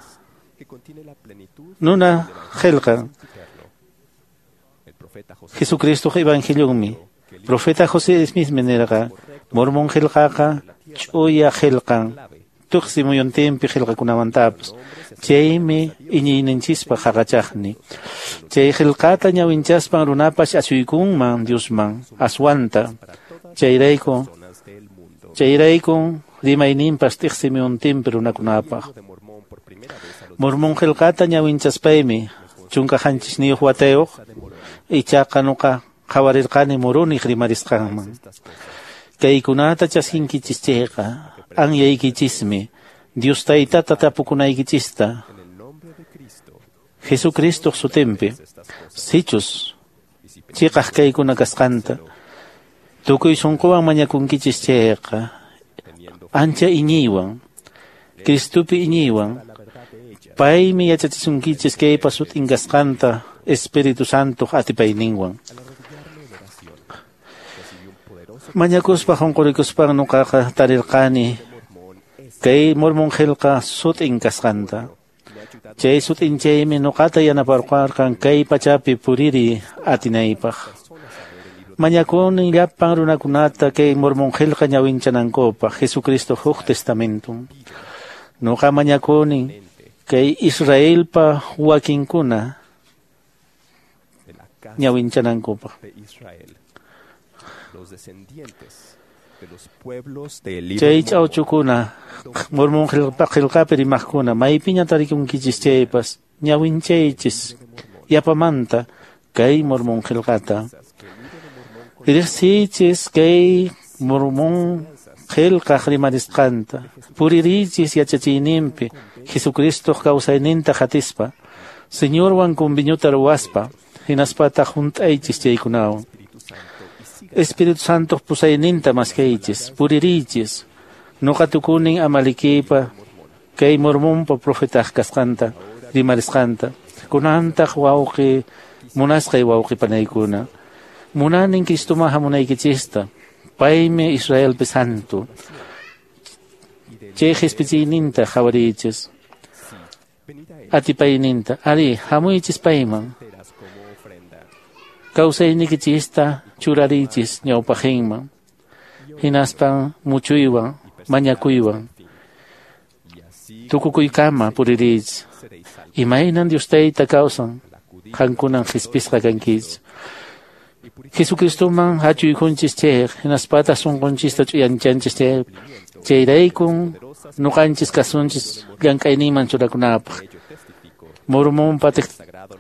nuna qillqa Jesucristo evangelionmi. Profeta José Smith nirqa Mormón qillqaqa ch'uya qillqan tuqsi muyuntinpi qillqakunamantapas. Chaymi iñiyninchispaq haqachaqni. Chay qillqata ñawinchaspan runapas asuykunman Diosman aswanta. Chayraykun rimayninpas tiqsi muyuntinpi runakunapaq. Mormón qillqata ñawinchaspaymi 17 watayuq ichaqa nuqa qhawarirqani Moroniq rimarisqanman. Kaykunata chaskinkichis chayqa anyaykichismi Dios taytata tapukunaykichista Jesucristoq sutinpi sichus chiqaq kaykuna kasqanta tukuy sunquwan mañakunkichis chayqa ancha iñiywan Cristopi iñiywan paymi yachachisunkichis kaypa sutin kasqanta Espíritu Santoq atipayninwan. Mañakuspa qunqurikuspan nuqaqa tarirqani kay Mormón qillqa sutin kasqanta. Chay sutinchaymi nuqata yanaparqarqan kay pachapi puriri atinaypaq. Mañakuni llapan runakunata kay Mormón qillqa ñawinchanankupaq Jesucristo huk testamentum. Nuqa mañakuni kay Israelpa wakinkuna ñawinchanankupaq. Chay ch'awchukuna Mormón qillqapi rimaqkuna maypiña tarikunkichis chaypas ñawinchaychis yapamanta kay Mormón qillqata. Riqsiychis kay Mormón qillqaq rimarisqanta. Puririychis yachachiyninpi Jesucristoq kawsayninta qatispa Señorwan conveniota ruwaspa hinaspataq hunt'aychis chaykunawan. Espíritu Santo pusayninta maskaychis, puririychis. Nuqa tukunin Amalikipa kay Mormonpa profetaq kasqanta, rimarisqanta. Kunantaq wawqi munasqay wawqi panaykuna. Munanin Cristoman hamunaykichista. Paymi Israelpi santo. Chay qhispichiyninta qhawariychis. Atipayninta. Ari, hamuychis payman. Kawsaynikichista churarichis ñawpaqinman. Hinaspan muchuywan, mañakuywan. Tukukuykama puririychis. Imaynan Dios tayta kawsan, qankunan qhispisqa kankichis. Jesucristoman hachuykunchis chayq, hinaspataq sunqunchista ch'uyanchanchis chayq. Chayraykun nuqanchis kasunchis llank'ayninman churakunapaq. Mormonpa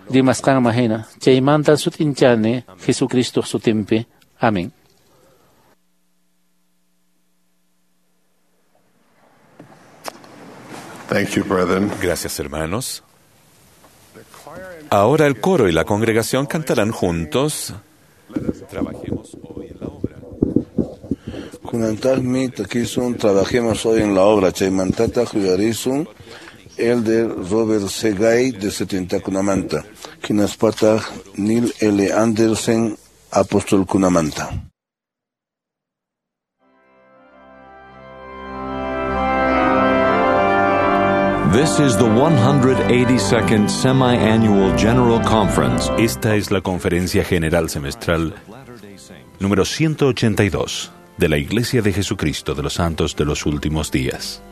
rimasqanman hina. Chaymanta sut'inchani Jesucristoq sutinpi. Amén. Thank you, brethren. Gracias, hermanos. Ahora el coro y la congregación cantarán juntos. Trabajemos hoy en la obra. Kunantaqmi takisun Trabajemos hoy en la obra. Chaymantataq yuyarisun Elder Robert C. Gay de 70kunamanta. Hinaspataq Neil L. Andersen apostolkunamanta. This is the 182nd Semi-Annual General Conference. Esta es la Conferencia General Semestral número 182 de la Iglesia de Jesucristo de los Santos de los Últimos Días.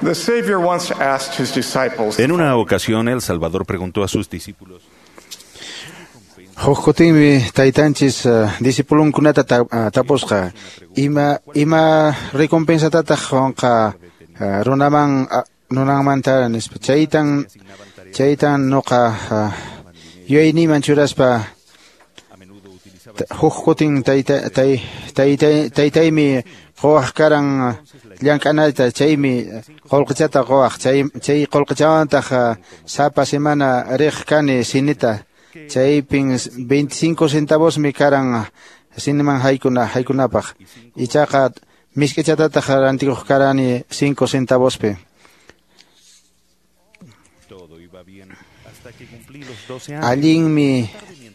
The Savior once asked his disciples, En una ocasión, el Salvador preguntó a sus discípulos: Huk kutinmi taytanchis discipulunkunata tapusqa ima recompensatataq qunqa runaman nunanmanta nispa. Chaytan nuqa yuyayniyman churaspa huk kutin taytaymi quwaq karan llank'anayta, chaymi qullqichata quwaq, chay qullqichawantaq sapa semana riq kani sinita. Chaypin 25 centavosmi karan siniman haykunapaq. Ichaqa misk'ichatataq rantikuq karani 5 centavospi.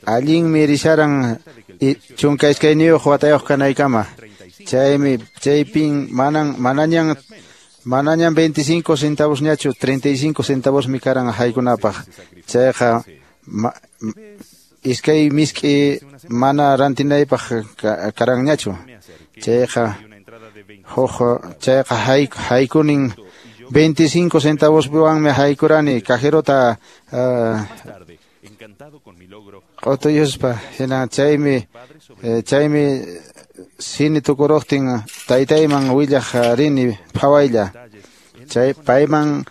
Allinmi risharan 12 watayuq kanaykama. Chaypin manañan 25 centavosñachu, 35 centavosmi karan haykunapaq. Chayqa iskay misk'i mana rantinaypaq karanñachu. Chayqa haykunin 25 centavospiwanmi haykurani cajerota q'utuyuspa. Hina chaymi sini tukuruqtin taytayman willaq rini phawaylla. Chay payman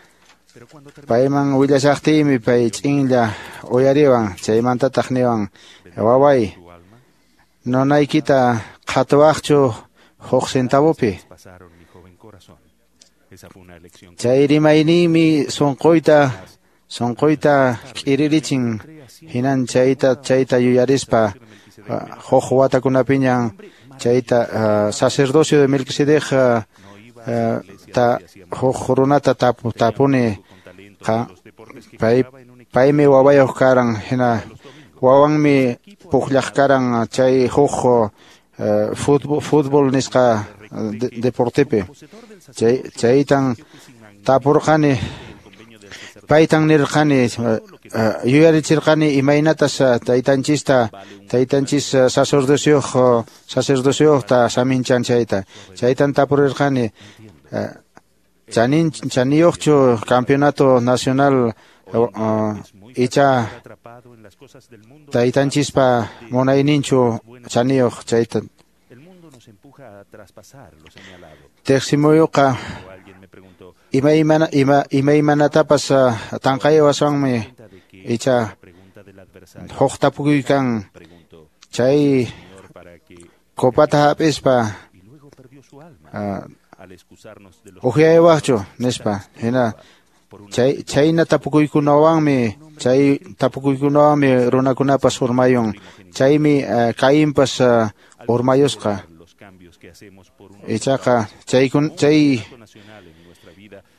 willashaqtiymi pay ch'inlla uyariwan, chaymantataq niwan Waway, nonaykita qhatuwaqchu huk centavopi. Chay rimayninmi sunquyta k'iririchin, hinan chayta yuyarispa huk watakunapiñan chayta sacerdocio de Melquisedec ta huk runata tapuni paymi wawayuq karan, hina wawanmi pukllaq karan chay huk fútbol nisqa deportepi. Chaytan tapurqani, paytan nirqani, yuyarichirqani imaynatas taytanchis sacerdocioqta saminchan chayta. Chaytan tapurirqani, chaniyuqchu campeonato nacional icha taytanchispa munayninchu chaniyuq chayta. Teqsimuyuqa imaymanatapas tanqaywaswanmi icha huk tapukuy kan chay copata hap'ispa uqyaywaqchu nispa. Hina chayna tapukuykunawanmi runakunapas urmayun. Chaymi Cainpas urmayusqa. Ichaqa chay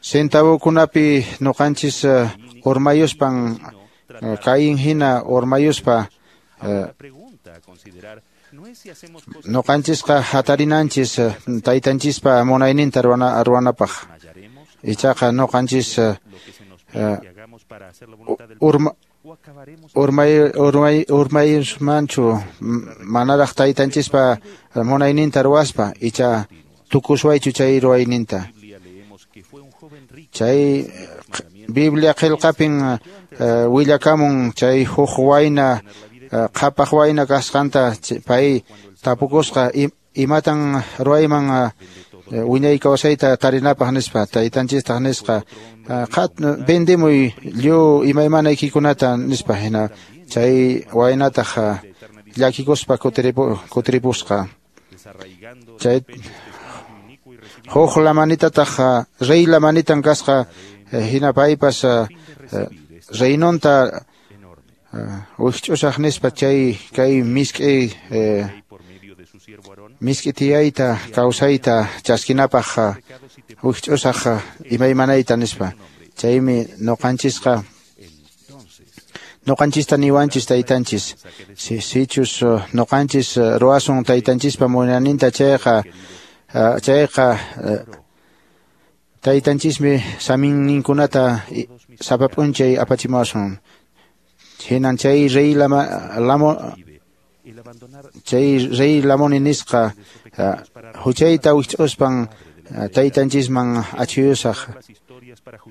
centavokunapi nuqanchis urmayuspan Cain hina urmayuspa nuqanchisqa hatarinanchis taytanchispa munayninta ruwanapaq. Ichaqa nuqanchis urmayusmanchu manaraq taytanchispa munayninta ruwaspa, icha tukuswaychu chay ruwayninta. Chay Biblia qillqapin willakamun chay huk wayna qhapaq wayna kasqanta, pay tapukusqa imatan ruwayman wiñay kawsayta tarinapaq nispa. Taytanchistaq nisqa vendemuy lliw imaymanaykikunata nispa. Hina chay waynataq llakikuspa kutiripusqa. Chay huk lamanitataq rey lamanitan kasqa, hina paypas reinonta wikch'usaq nispa chay kay misk'i misk'i tiyayta kawsayta chaskinapaq wikch'usaq imaymanayta nispa. Chaymi nuqanchista niwanchis taytanchis, sichus nuqanchis ruwasun taytanchispa munayninta chayqa taytanchismi saminninkunata sapa p'unchay apachimuwasun. Hinan chay rey Lamoni nisqa huchayta wikch'uspan taytanchisman achhuyusaq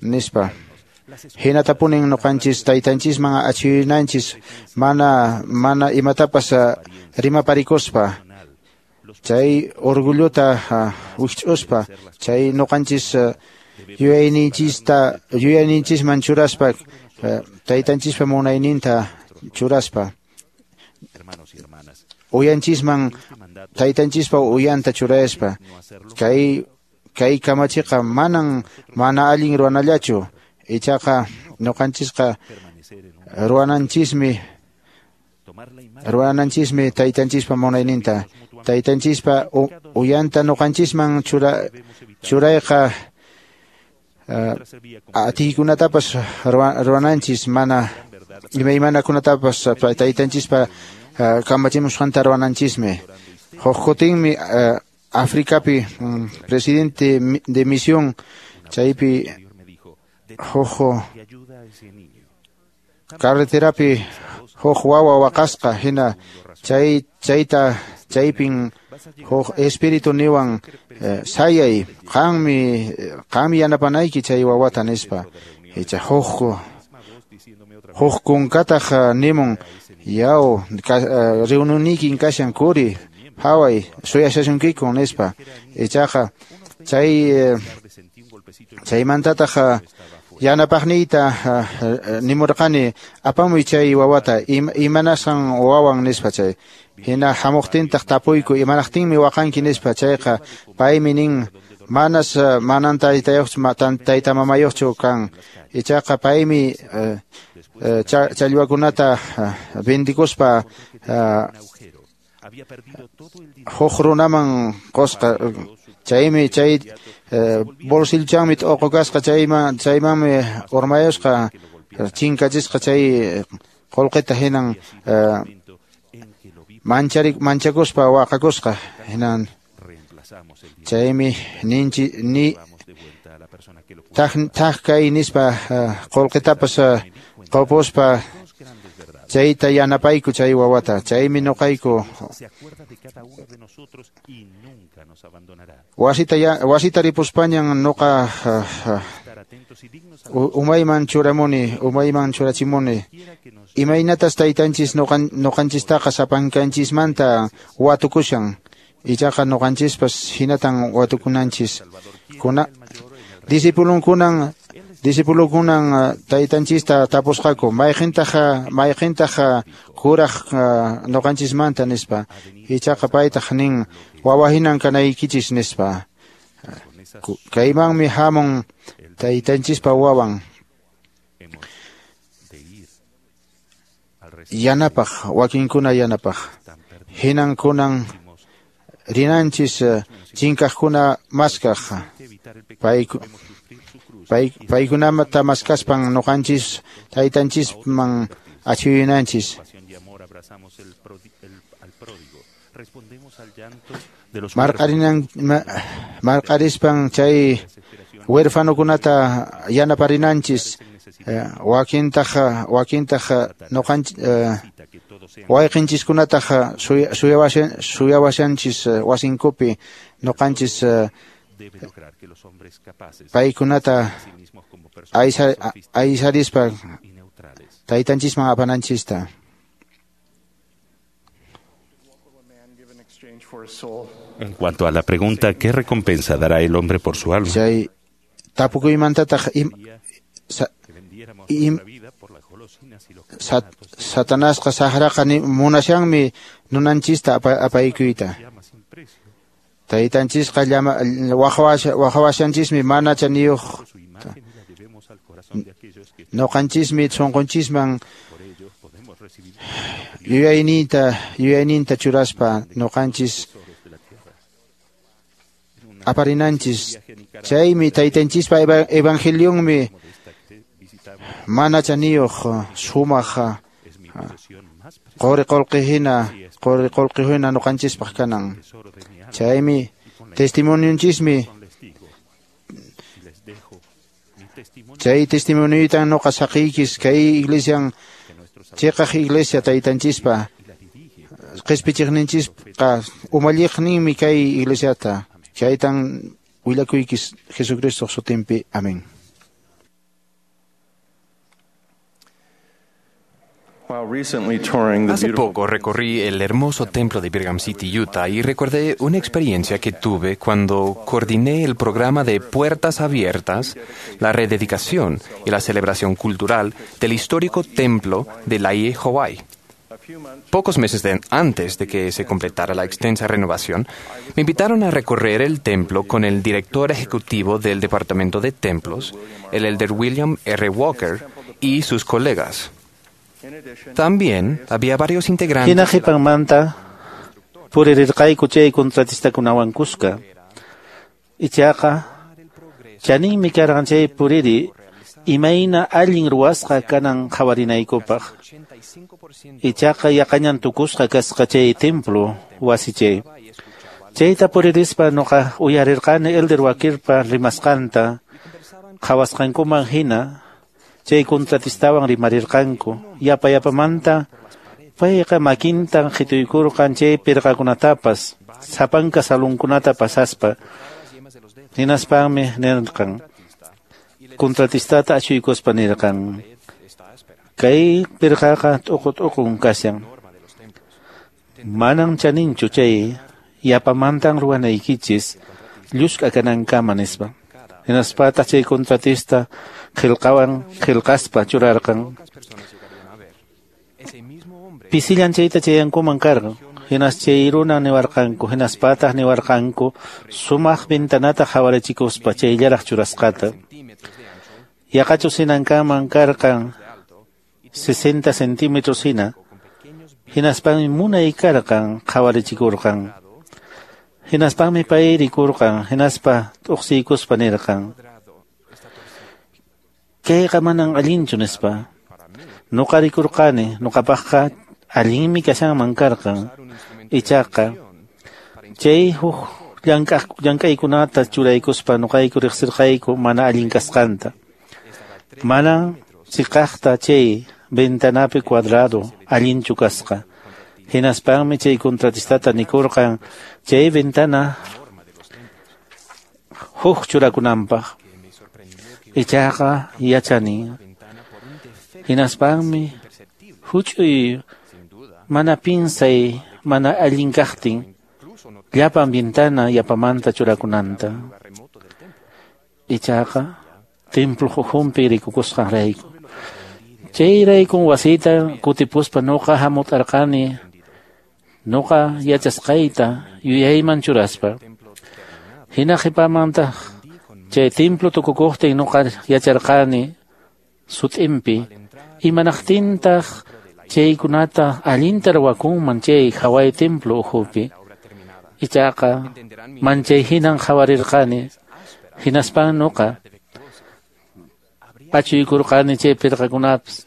nispa. Hinatapunin nuqanchis taytanchisman achhuyunanchis mana imatapas rimaparikuspa, chay orgullota wikch'uspa, chay nuqanchis yuyayninchisman churaspa, taytanchispa munayninta churaspa, uyanchisman taytanchispa uyanta churaspa. Kay kamachiqa manan mana allin ruwanallachu, ichaqa nuqanchisqa ruwananchismi taytanchispa munayninta. Taytanchispa uyanta nuqanchisman churayqa atiykunatapas ruwananchis, mana imaymanakunatapas taytanchispa kamachimusqanta ruwananchismi. Huk kutinmi Africapi presidente de misión chaypi huk carreterapi huk wawa waqasqa, hina chaypin huk espíritu niwan sayay, qanmi yanapanayki chay wawata nispa. Icha huk kunkataq nimun, yaw reuniykin kashan kuri phaway suyashasunkiku nispa. Ichaqa chaymantataq Yanapaqniyta nimurqani apamuy chay wawata imanasqan wawan nispa chay. Hina hamuqtintaq tapuyku imanaqtinmi waqanki nispa chayqa paymi nin manas manan taytayuqchu tayta mamayuqchu kan ichaqa paymi challwakunata vendikuspa huk runaman qusqa chaymi chay bolsilchanmi t'uqu kasqa chaymanmi urmayusqa chinkachisqa chay qullqita hinan manchakuspa waqakusqa hinan chaymi ninchi ni thak kay nispa qullqitapas qupuspa chayta yanapayku chay wawata chaymi nuqayku wasita ripuspañan nuqa umayman churamuni umayman churachimuni imaynatas taytanchis nuqanchistaqa sapankanchismanta watukushan ichaqa nuqanchispas hinatan watukunanchis kuna disipulunkunan taytanchista tapusqaku mayqintaq kuraq nuqanchismanta nispa ichaqa paytaq nin wawa hinan kanaykichis nispa kaymanmi hamun taytanchispa wawan yanapaq wakinkuna yanapaq hinan kunan rinanchis chinkaqkuna maskaq paykunata maskaspan nuqanchis taytanchisman achuyunanchis marqarispan chay huerfanokunata yanaparinanchis wakintaq nuqanchis wayqinchiskunataq suyawashanchis wasinkupi nuqanchis paykunata aysarispa taytanchisman apananchista. En cuanto a la pregunta ¿qué recompensa dará el hombre por su alma? Chay tapukuymantataq Satanasqa saqraqa munashanmi nunanchista apaykuyta. Taytanchisqa waqawashanchismi mana chaniyuq nuqanchismi sunqunchisman yuyayninta churaspa nuqanchis aparinanchis chaymi taytanchispa evangelionmi mana chaniyuq sumaq quri qullqi hina nuqanchispaq kanan chaymi testimonionchismi chay testimonioytan nuqa saqiykis kay iglesian chiqaq iglesia taytanchispa qispichiqninchisqa umalliqninmi kay iglesiata chaytan willakuykis Jesucristo sutinpi. Amén. Hace poco recorrí el hermoso templo de Brigham City, Utah, y recordé una experiencia que tuve cuando coordiné el programa de Puertas Abiertas, la rededicación y la celebración cultural del histórico templo de Laie, Hawaii. Pocos meses antes de que se completara la extensa renovación, me invitaron a recorrer el templo con el director ejecutivo del Departamento de Templos, el elder William R. Walker, y sus colegas. También había varios integrantes. Hina qhipanmanta puririrqayku chay contratistakunawan kuska. Ichaqa chaninmi karqan chay puriri imayna allin ruwasqa kanan qhawarinaykupaq. Ichaqa yaqañan tukusqa kasqa chay templo wasi chay. Chayta puririspa nuqa uyarirqani elder Walkerpa rimasqanta qhawasqankuman hina chay contratistawan rimarirqanku yapa yapamanta payqa makintan qhituykurqan chay pirqakunatapas sapanka salunkunata pasaspa hinaspanmi nirqan contratistata achuykuspa nirqan kay pirqaqa t'uqu t'uqun kashan manan chaninchu chay yapamantan ruwanaykichis llusk'a kanankama nispa. Hinaspataq chay contratista qillqawan qillqaspa churarqan. Pisillan chayta chayankuman karqan. Hinas chay runa niwarqanku, hinaspataq niwarqanku sumaq ventanata qhawarichikuspa chayllaraq churasqata. Yaqachus hinankaman karqan 60 centímetros hina. Hinaspanmi munay karqan qhawarichikurqan. Hinaspanmi pay rikurqan, hinaspa t'uqsiykuspa nirqan: Kayqa manan allinchu nispa. Nuqa rikurqani, nuqapaqqa allinmi kashanman karqan. Ichaqa chay huk llank'aykunata churaykuspa nuqayku riqsirqayku mana allin kasqanta. Mana chiqaqta chay ventanapi cuadrado allinchu kasqa. Hinaspanmi chay contratistata nikurqan chay ventana huk churakunanpaq. Ichaqa yachani. Hinaspanmi huch'uy mana pinsay mana allin kaqtin llapan ventana yapamanta churakunanta. Ichaqa templo hukhunpi rikukusqanrayku. Chayraykun wasiyta kutipuspa nuqa hamut'arqani nuqa yachasqayta yuyayman churaspa. Hina qhipamantaq chay templo tukukuqtin nuqa yacharqani sut'inpi imanaqtintaq chaykunata allinta ruwakunman chay haway templo ukhupi. Ichaqa manchay hinan qhawarirqani. Hinaspan nuqa pachuykurqani chay pirqakunapas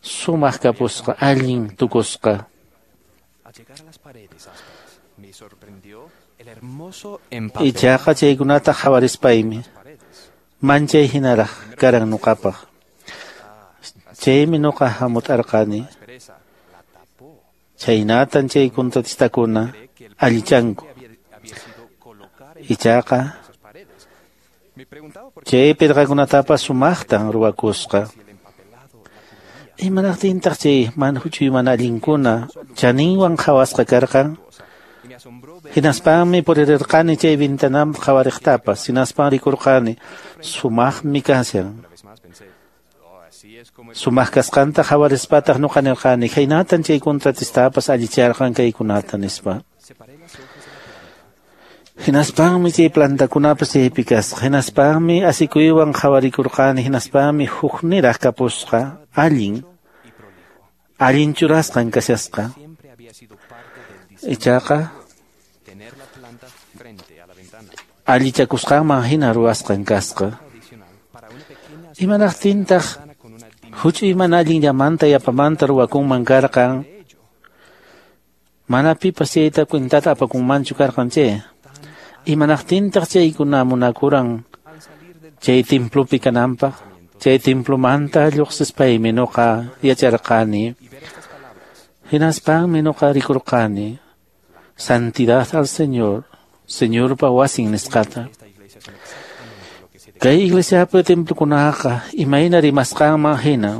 sumaq kapusqa allin tukusqa. Ichaqa chaykunata qhawarispaymi manchay hinaraq karan nuqapaq. Chaymi nuqa hamut'arqani. Chaynatan chay contratistakuna allichanku. Ichaqa chay pirqakunatapas sumaqtan ruwakusqa. Imanaqtintaq chay huch'uy mana allinkuna chaninwan qhawasqa karqan? Hinaspanmi puririrqani chay ventanaman qhawariqtapas. Hinaspan rikurqani sumaqmi kashan. Sumaq kasqanta qhawarispataq nuqa nirqani khaynatan chay contratistapas allicharqan kaykunata nispa. Hinaspanmi chay plantakunapas chaypi kasqa. Hinaspanmi asikuywan qhawarikurqani. Hinaspanmi hukniraq kapusqa allin allin churasqan kashasqa. Ichaqa allichakusqanman hina ruwasqan kasqa. Imanaqtintaq huch'uy mana allinllamanta yapamanta ruwakunman karqan? Mana pipas chayta cuentata apakunmanchu karqan chay. Imanaqtintaq chaykuna munakuran chay templopi kananpaq? Chay templomanta lluqsispaymi nuqa yacharqani. Hinaspanmi nuqa rikurqani santidad al Señor, Señorpa wasin nisqata. Kay iglesiapi templokunaqa imayna rimasqanman hina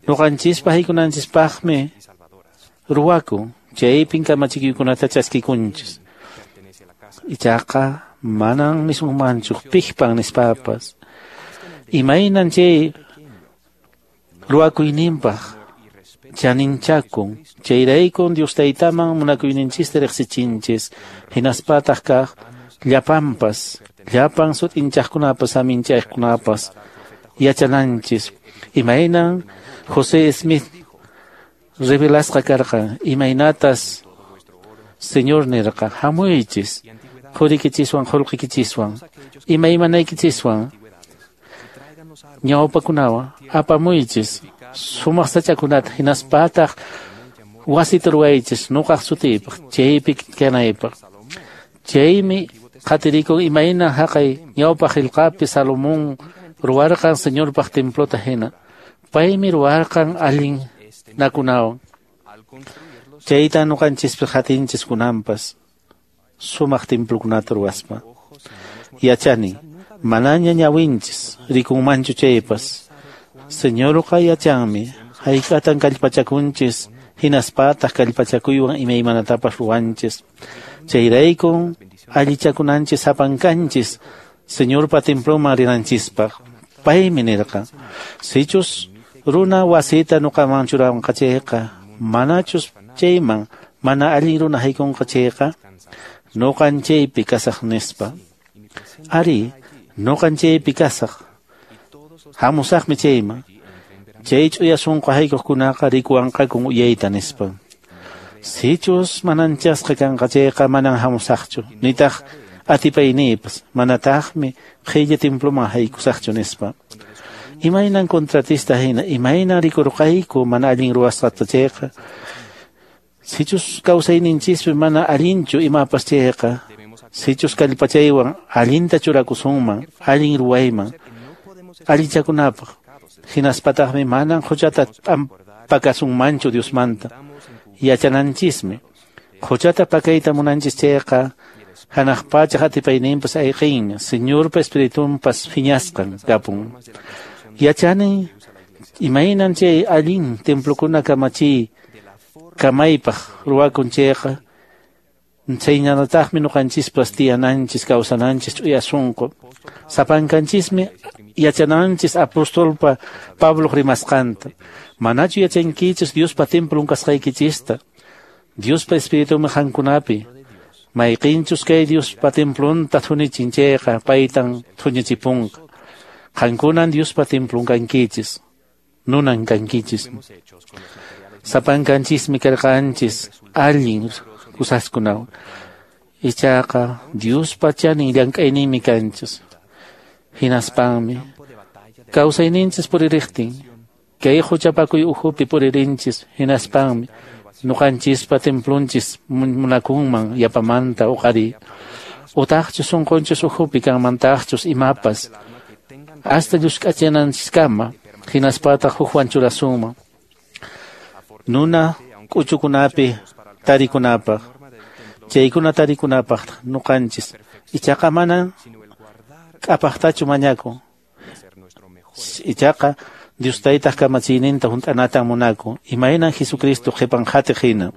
nuqanchispaq haykunanchispaqmi ruwakun. Chaypin kamachikuykunata chaskikunchis. Ichaqa manan nisunmanchu piqpan nispapas. Imaynan chay ruwakuyninpaq chaninchakun. Chayraykun Dios Taytaman munakuyninchista riqsichinchis. Hinaspataq kaq llapanpas, llapan sut'inchaqkunapas aminchaqkunapas yachananchis. Imaynan José Smith revelasqa karqan, imaynatas Señor nirqa, hamuychis qurikichiswan qullqikichiswan imaymanaykichiswan ñawpakunawan apamuychis sumaq sachakunata hinaspataq wasita ruwaychis nuqaq sutiypaq chaypi kanaypaq. Chaymi qatirikun imayna haqay ñawpaq qillqapi Salomón ruwarqan Señorpaq templota hina. Paymi ruwarqan allin nakunawan. Chayta nuqanchispi qatinchis kunanpas sumaq templokunata ruwaspa. Yachani manaña ñawinchis rikunmanchu chaypas. Señorqa yachanmi hayk'atan kallpachakunchis hinaspataq kallpachakuywan imaymanatapas ruwanchis. Chayraykun allichakunanchis sapankanchis Señorpa temploman rinanchispaq. Paymi nirqa, sichus runa wasita nuqaman churanqa chayqa, manachus chayman mana allin runa haykunqa chayqa, nuqan chaypi kasaq nispa. Ari, nuqan chaypi kasaq. Hamusaqmi chayman. Chay ch'uya sunqu haykuqkunaqa rikuwanqakun uyayta nispa. Sichus mananchasqa kanqa chayqa manan hamusaqchu, nitaq atipayniypas, manataqmi qhilla temploman haykusaqchu nispa. Imaynan contratista hina, imaynan rikurqayku mana allin ruwasqata chayqa, sichus kawsayninchispi mana allinchu imapas chayqa, sichus kallpachaywan allinta churakusunman, allin ruwayman, allichakunapaq, hinaspataqmi manan huchata pakasunmanchu Diosmanta. Yachananchismi, huchata pakayta munanchis chayqa, hanaq pacha atipayninpas ayqinmi, Señorpa Espiritunpas phiñasqan kapun. Yachani imaynan chay allin templokuna kamachiy kamaypaq ruwakun chayqa, chhaynallataqmi nuqanchispas tiyananchis kawsananchis ch'uya sunqu. Sapankanchismi yachananchis apostolpa Pabloq rimasqanta. Manachu yachankichis Diospa templon kasqaykichista, Diospa Espiritunmi qankunapi. Mayqinchus kay Diospa templonta thunichin chayqa paytan thunichipunqa. Qankunan Diospa templon kankichis, nunan kankichis. Sapankanchismi karqanchis allin kusaskunawan. Ichaqa Diospa chanin llank'ayninmi kanchis. Hinaspanmi kawsayninchis puririqtin, kay huchapakuy ukhupi puririnchis, hinaspanmi nuqanchispa templonchis munakunman yapamanta uqari. Utaqchus sunqunchis ukhupi kanmantaqchus imapas, hasta llusk'achananchiskama, hinaspataq hukwan churasunman. Nuna k'uchukunapi tarikunapaq, chaykuna tarikunapaq nuqanchis, ichaqa manan k'apaqtachu mañakun. Ichaqa Dios taytaq kamachiyninta hunt'anatan munakun, imaynan Jesucristo qhipan qhatiq hina,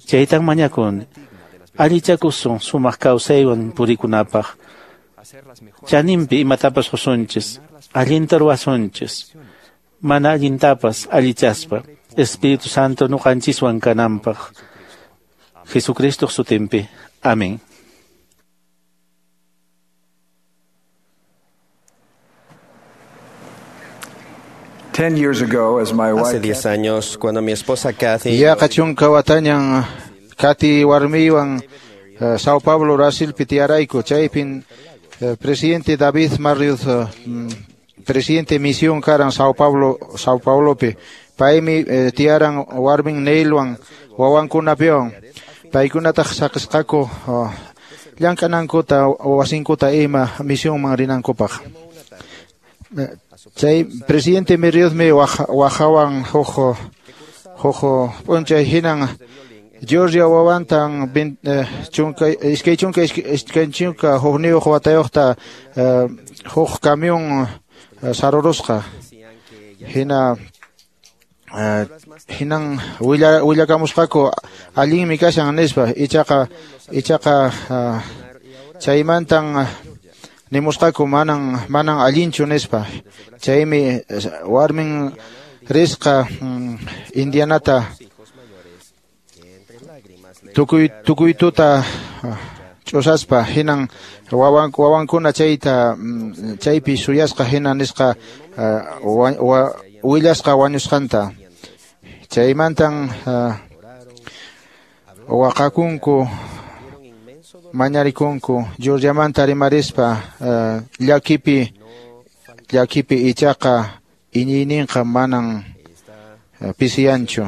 chaytan mañakuni. Allichakusun sumaq kawsaywan purikunapaq, chaninpi imatapas qusunchis, allinta ruwasunchis, mana allintapas allichaspa, Espíritu Santo nuqanchiswan kananpaq. Jesucristo sutinpi. Amén. Hace 10 años, cuando mi esposa Kathy Yaqa chunka watañan Kathy warmiywan Sao Paulo, Brasilpi tiyarayku, chaypin presidente David Marriott, presidente misión karan Sao Paulo, Sao Paulopi. Paymi tiyaran warmin Neilwan wawankunapiwan. Paykunataq saqisqaku llank'anankuta wasinkuta ima misionman rinankupaq. Chay presidente Marriottmi wajawan huk p'unchay hinan Georgia wawantan 21 watayuqta huk camión sarurusqa. Hina hinan willakamusqaku allinmi kashan nispa, ichaqa chaymantan nimusqaku manan allinchu nispa. Chaymi warmin risqa Indianata tukuy tuta ch'usaspa, hinan wawankuna chayta chaypi suyasqa hina nisqa willasqa wañusqanta. Chaymantan waqakunku mañarikunku Georgiamanta rimarispa llakipi ichaqa iñiyninqa manan pisiyanchu.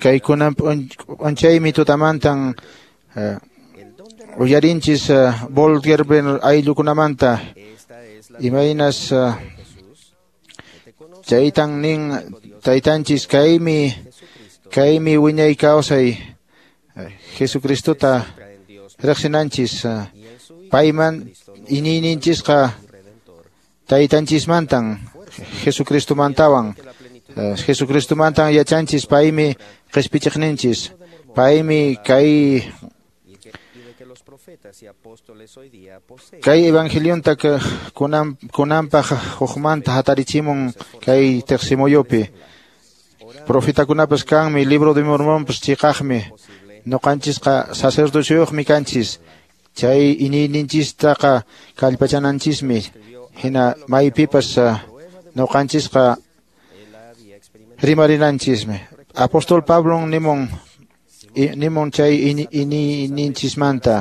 Kaykunan p'unchaymi tutamantan uyarinchis Volgerben ayllukunamanta imaynas chaytan nin taytanchis kaymi wiñay kawsay Jesucristota riqsinanchis, payman iñiyninchisqa taytanchismantan Jesucristomantawan. Jesucristomantan yachanchis paymi qhispichiqninchis, paymi kay Kay evangelionta kunanpaq hukmanta hatarichimun kay teqsimuyupi. Profetakunapas kanmi, libro de Mormonpas chiqaqmi. Ñuqanchisqa sacerdocioyuqmi kanchis. Chay iñiyninchistaqa kallpachananchismi. Hina maypipas ñuqanchisqa rimarinanchismi. Apóstol Pablo nimun chay iñiyninchismanta.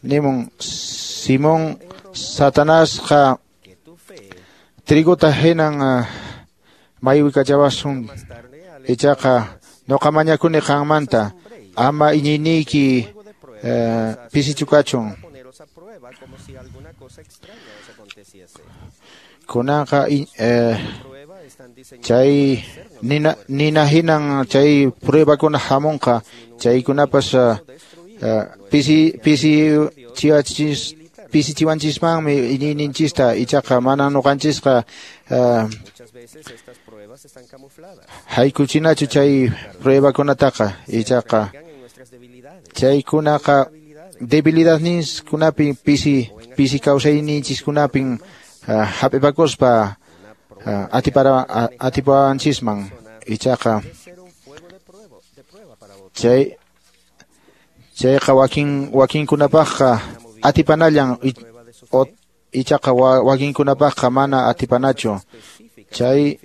Nimun Simón Satanasqa trigota hinan maywikachawasun ichaqa ñuqa mañakuni qanmanta ama iñiyniyki pisichu kachun. Kunanqa chay nina hinan chay pruebakuna hamunqa chaykunapas pisichiwanchismanmi iñiyninchista ichaqa mana ñuqanchisqa haykuchinachu chay pruebakunataqa ichaqa chaykunaqa debilidadninkunapin pisi kawsayninchiskunapin hap'ipakuspa atipawanchisman ichaqa chayqa wakinkunapaqqa atipanallan ichaqa wakinkunapaqqa mana atipanachu. Chay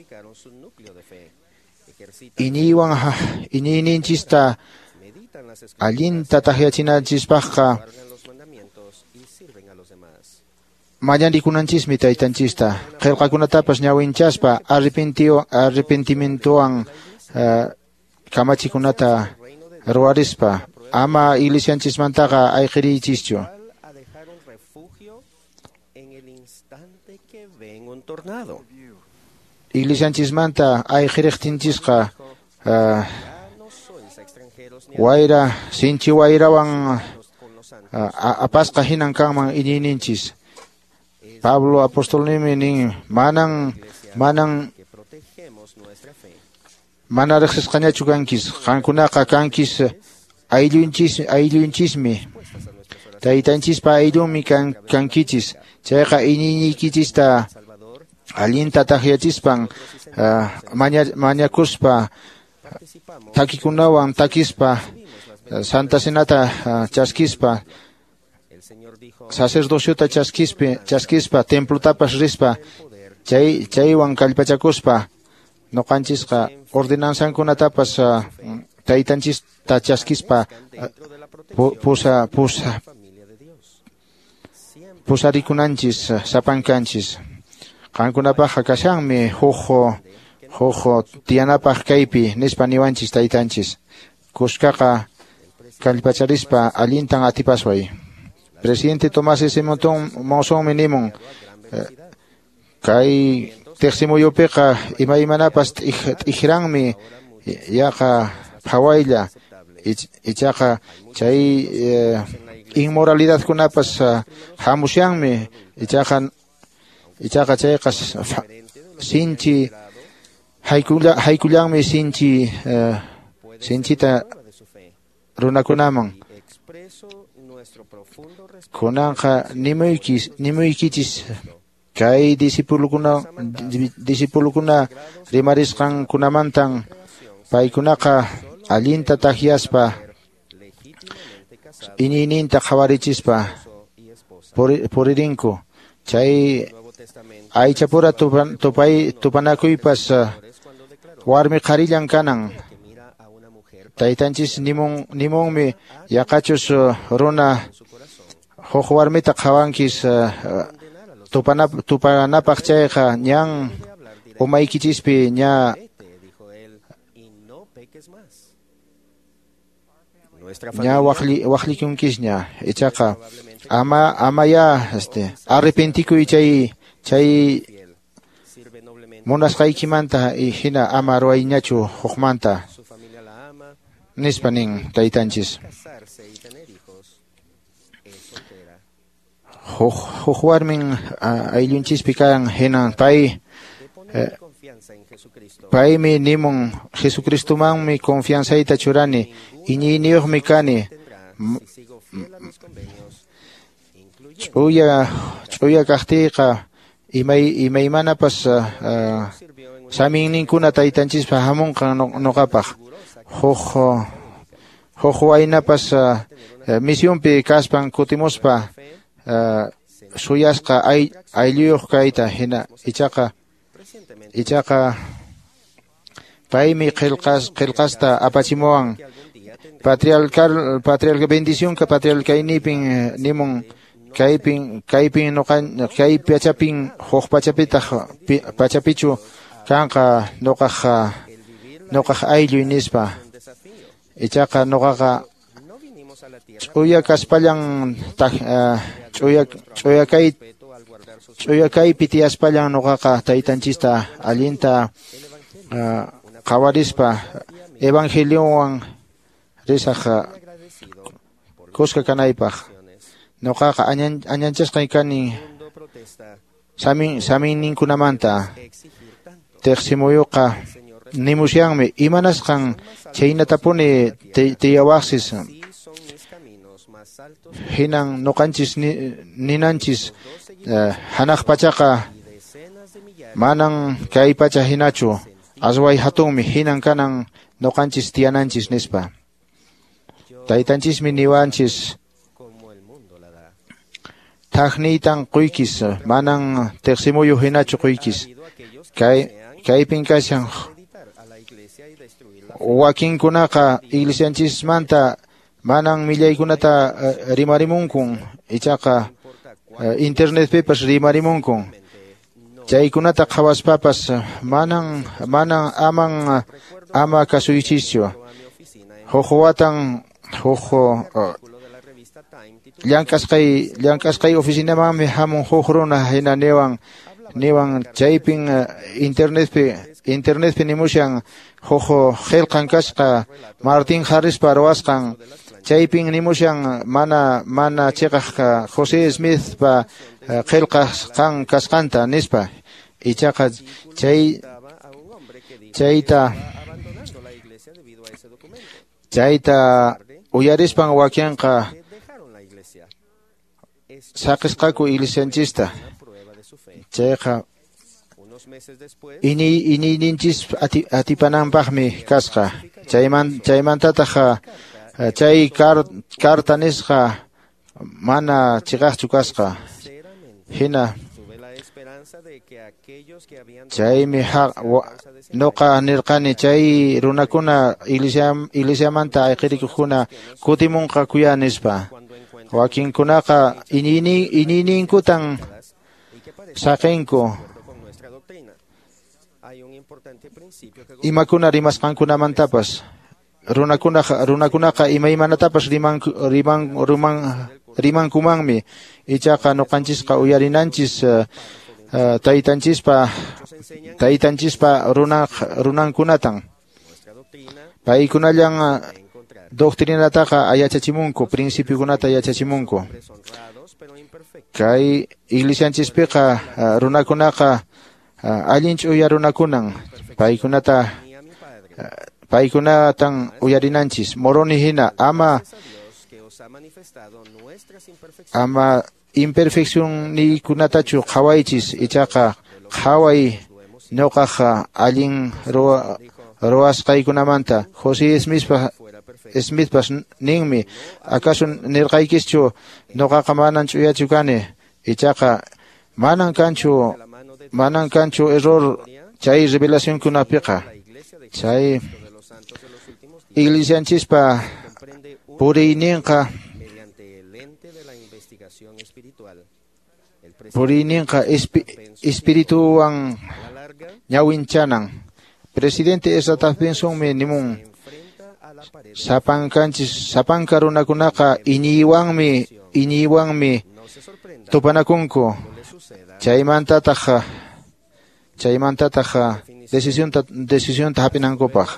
iñiywan iñiyninchista allinta takyachinanchispaqqa mañarikunanchismi taytanchista qillqakunatapas ñawinchaspa arrepentimientowan kamachikunata ruwarispa ama iglesianchismantaqa ayqiriychischu. Iglesianchismanta ayqiriqtinchisqa wayra sinchi wayrawan apasqa hinan kanman iñiyninchis. Pablo apostolnimi nin manan mana riqsisqañachu kankis qankunaqa kankis ayllunchismi taytanchispa ayllunmi kankichis chayqa iñiyniykichista allinta takyachispan mañakuspa takikunawan takispa Santa Cenata chaskispa sacerdociota chaskispa templotapas rispa chaywan kallpachakuspa ñuqanchisqa ordenanzankunatapas taytanchista chaskispa pusarikunanchis sapankanchis. Qankunapaqqa kashanmi huk tiyanapaq kaypi nispa niwanchis taytanchis. Kuskaqa kallpacharispa allintan atipasway. Presidente Tomás S. Monsonmi nimun kay teqsimuyupiqa imaymanapas t'ikranmi yaqa phawaylla ichaqa chay inmoralidadkunapas hamushanmi ichaqa chayqa sinchi haykullanmi sinchita runakunaman. Kunanqa nimuykichis kay discipulukuna rimarisqankunamantan paykunaqa allinta takyaspa iñiyninta qhawarichispa puririnku. Chay aychapura tupanakuypas warmi qharillan kanan. Taytanchis nimunmi yaqachus runa huk warmita qhawankis tupanapaq chayqa ñan umaykichispi ña waqlikunkisña ichaqa ama ya arrepentikuy chay munasqaykimanta hina ama ruwayñachu hukmanta nispa nin taytanchis. Huk warmin ayllunchispi kan hinan paymi nimun Jesucristomanmi confianzayta churani iñiyniyuqmi kani Ch'uya kaqtiyqa imaymanapas saminninkuna taytanchispa hamunqan nuqapaq. Huk waynapas misionpi kaspan kutimuspa suyasqa aylluyuq kayta hina ichaqa paymi qillqasta apachimuwan patriarcal bendición ka patriarcaynipin nimun kaypin nuqa kay pachapin huk pachapitaq pachapichu kanqa nuqaq aylluy nispa. Ichaqa nuqaqa ch'uya kaspallan ch'uya kaypi tiyaspallan nuqaqa taytanchista allinta qhawarispa evangeliowan risaq kuska kanaypaq. Nuqaqa añanchasqay kani saminninkunamanta tiqsimuyuqa nimusyanmi imanasqan chaynatapuni tiyawaqsis hinan nuqanchis ninanchis hanaq pachaqa manan kay pacha hinachu asway hatunmi hinan kanan nuqanchis tiyananchis nispa. Taytanchismi niwanchis thaqniytan quykis manan tiqsimuyu hinachu quykis. Kaypin kashan wakinkunaqa iglesianchismanta manan millaykunata rimarimunkun ichaqa internetpipas rimarimunkun. Chaykunata qhawaspapas manan ama kasuychischu. Huk watan huk llank'asqay oficinamanmi hamun huk runa hina niwan chaypin internetpi nimushan huk qillqan kasqa Martin Harrispa ruwasqan chaypin nimushan mana chiqaq José Smithpa qillqasqan kasqanta nispa. Ichaqa chayta uyarispan wakinqa saqisqaku iglesianchista. Chayqa iñiyninchis atipananpaqmi kasqa. Chaymantataq chay carta nisqa mana chiqaqchu kasqa. Hina chaymi nuqa nirqani chay runakuna iglesiamanta ayqirikuqkuna kutimunqakuya nispa. Wakinkunaqa iñiyninkutan saqinku imakuna rimasqankunamantapas. Runakunaqa imaymanatapas rimankumanmi ichaqa nuqanchisqa uyarinanchis taytanchispa runankunatan. Paykunallan doctrinataqa yachachimunku, principiokunata yachachimunku. Kay iglesianchispiqa runakunaqa allin ch'uya runakunan paykunatan uyarinanchis. Moroni hina ama imperfeccionniykunatachu qhawaychis ichaqa qhaway nuqaq allin ruwasqaykunamanta. José Smithpas ninmi acaso nirqaykischu nuqaqa manan ch'uyachu kani ichaqa manan kanchu error chay revelacionkunapiqa. Chay iglesianchispa puriyninqa espirituwan ñawinchanan. Presidente Ezra Taft Bensonmi nimun sapanka runakunaqa iñiywanmi tupanakunku. Chaymantataq decisionta hap'inankupaq.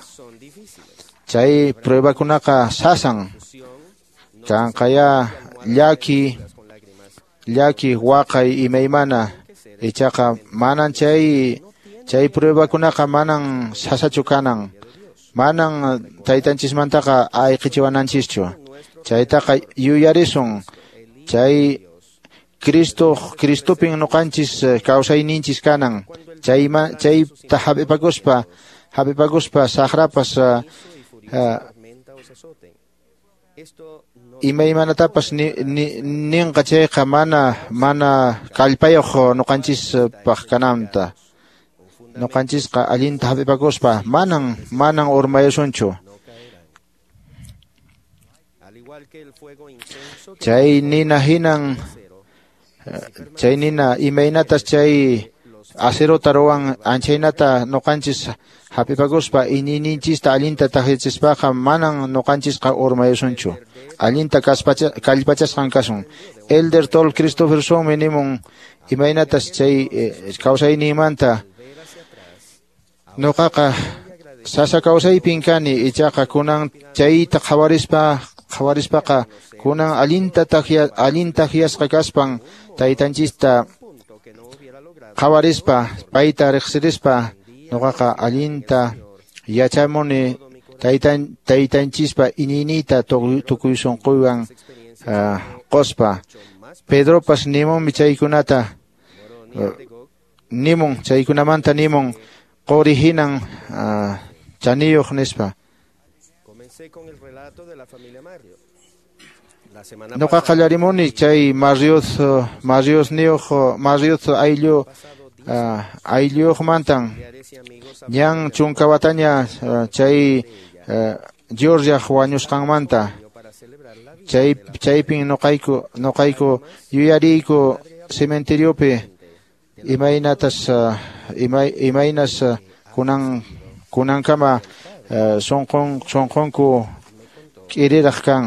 Chay pruebakunaqa sasan kanqaya llaki waqay imaymana ichaqa manan chay pruebakunaqa manan sasachu kanan. Manan taytanchismantaqa ayqichiwananchischu. Chaytaqa yuyarisun chay Cristo Cristopin nuqanchis kawsayninchis kanan. Chayta hap'ipakuspa saqrapas imaymanatapas ninqa chayqa mana kallpayuq nuqanchispaq kananta. Nuqanchisqa allinta hap'ipakuspa manan urmayusunchu. Chay nina hinan chay nina imaynatas chay acerota ruwan anchaynata nuqanchis hap'ipakuspa iñiyninchista allinta takyachispaqa manan nuqanchisqa urmayusunchu. Allinta kallpachasqan kasun. Elder Tol Christophersonmi nimun imaynatas chay kawsayninmanta nuqaqa sasa kawsaypin kani ichaqa kunan chayta qhawarispaqa kunan allinta takyasqa kaspan taytanchista qhawarispa payta riqsirispa nuqaqa allinta yachamuni taytanchispa iñiyniyta tukuy sunquywan quspa. Pedropas nimunmi chaykunata nimun chaykunamanta nimun quri hinan chaniyuq nispa. Nuqa qallarimuni chay Marriott ayllu aylluyuqmantan ñan chunka wataña chay Georgia wañusqanmanta chaypin nuqayku yuyariyku cementeriopi imaynatas imaynas kunankama sunqunku k'iriraq kan.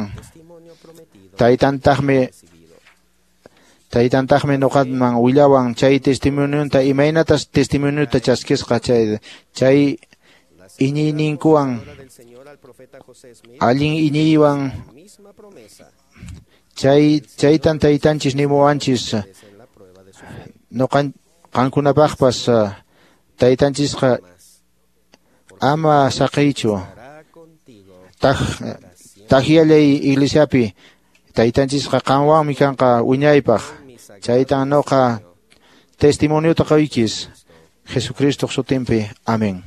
Taytantaqmi nuqaman willawan chay testimonionta imaynatas testimoniota chaskisqa chay iñiyninkuwan allin iñiywan chaytan taytanchis nimuwanchis qankunapaqpas taytanchisqa ama saqiychu takyallay iglesiapi taytanchisqa qanwanmi kanqa wiñaypaq. Chaytan nuqa testimoniota qoykis Jesucristo sutinpi. Amén.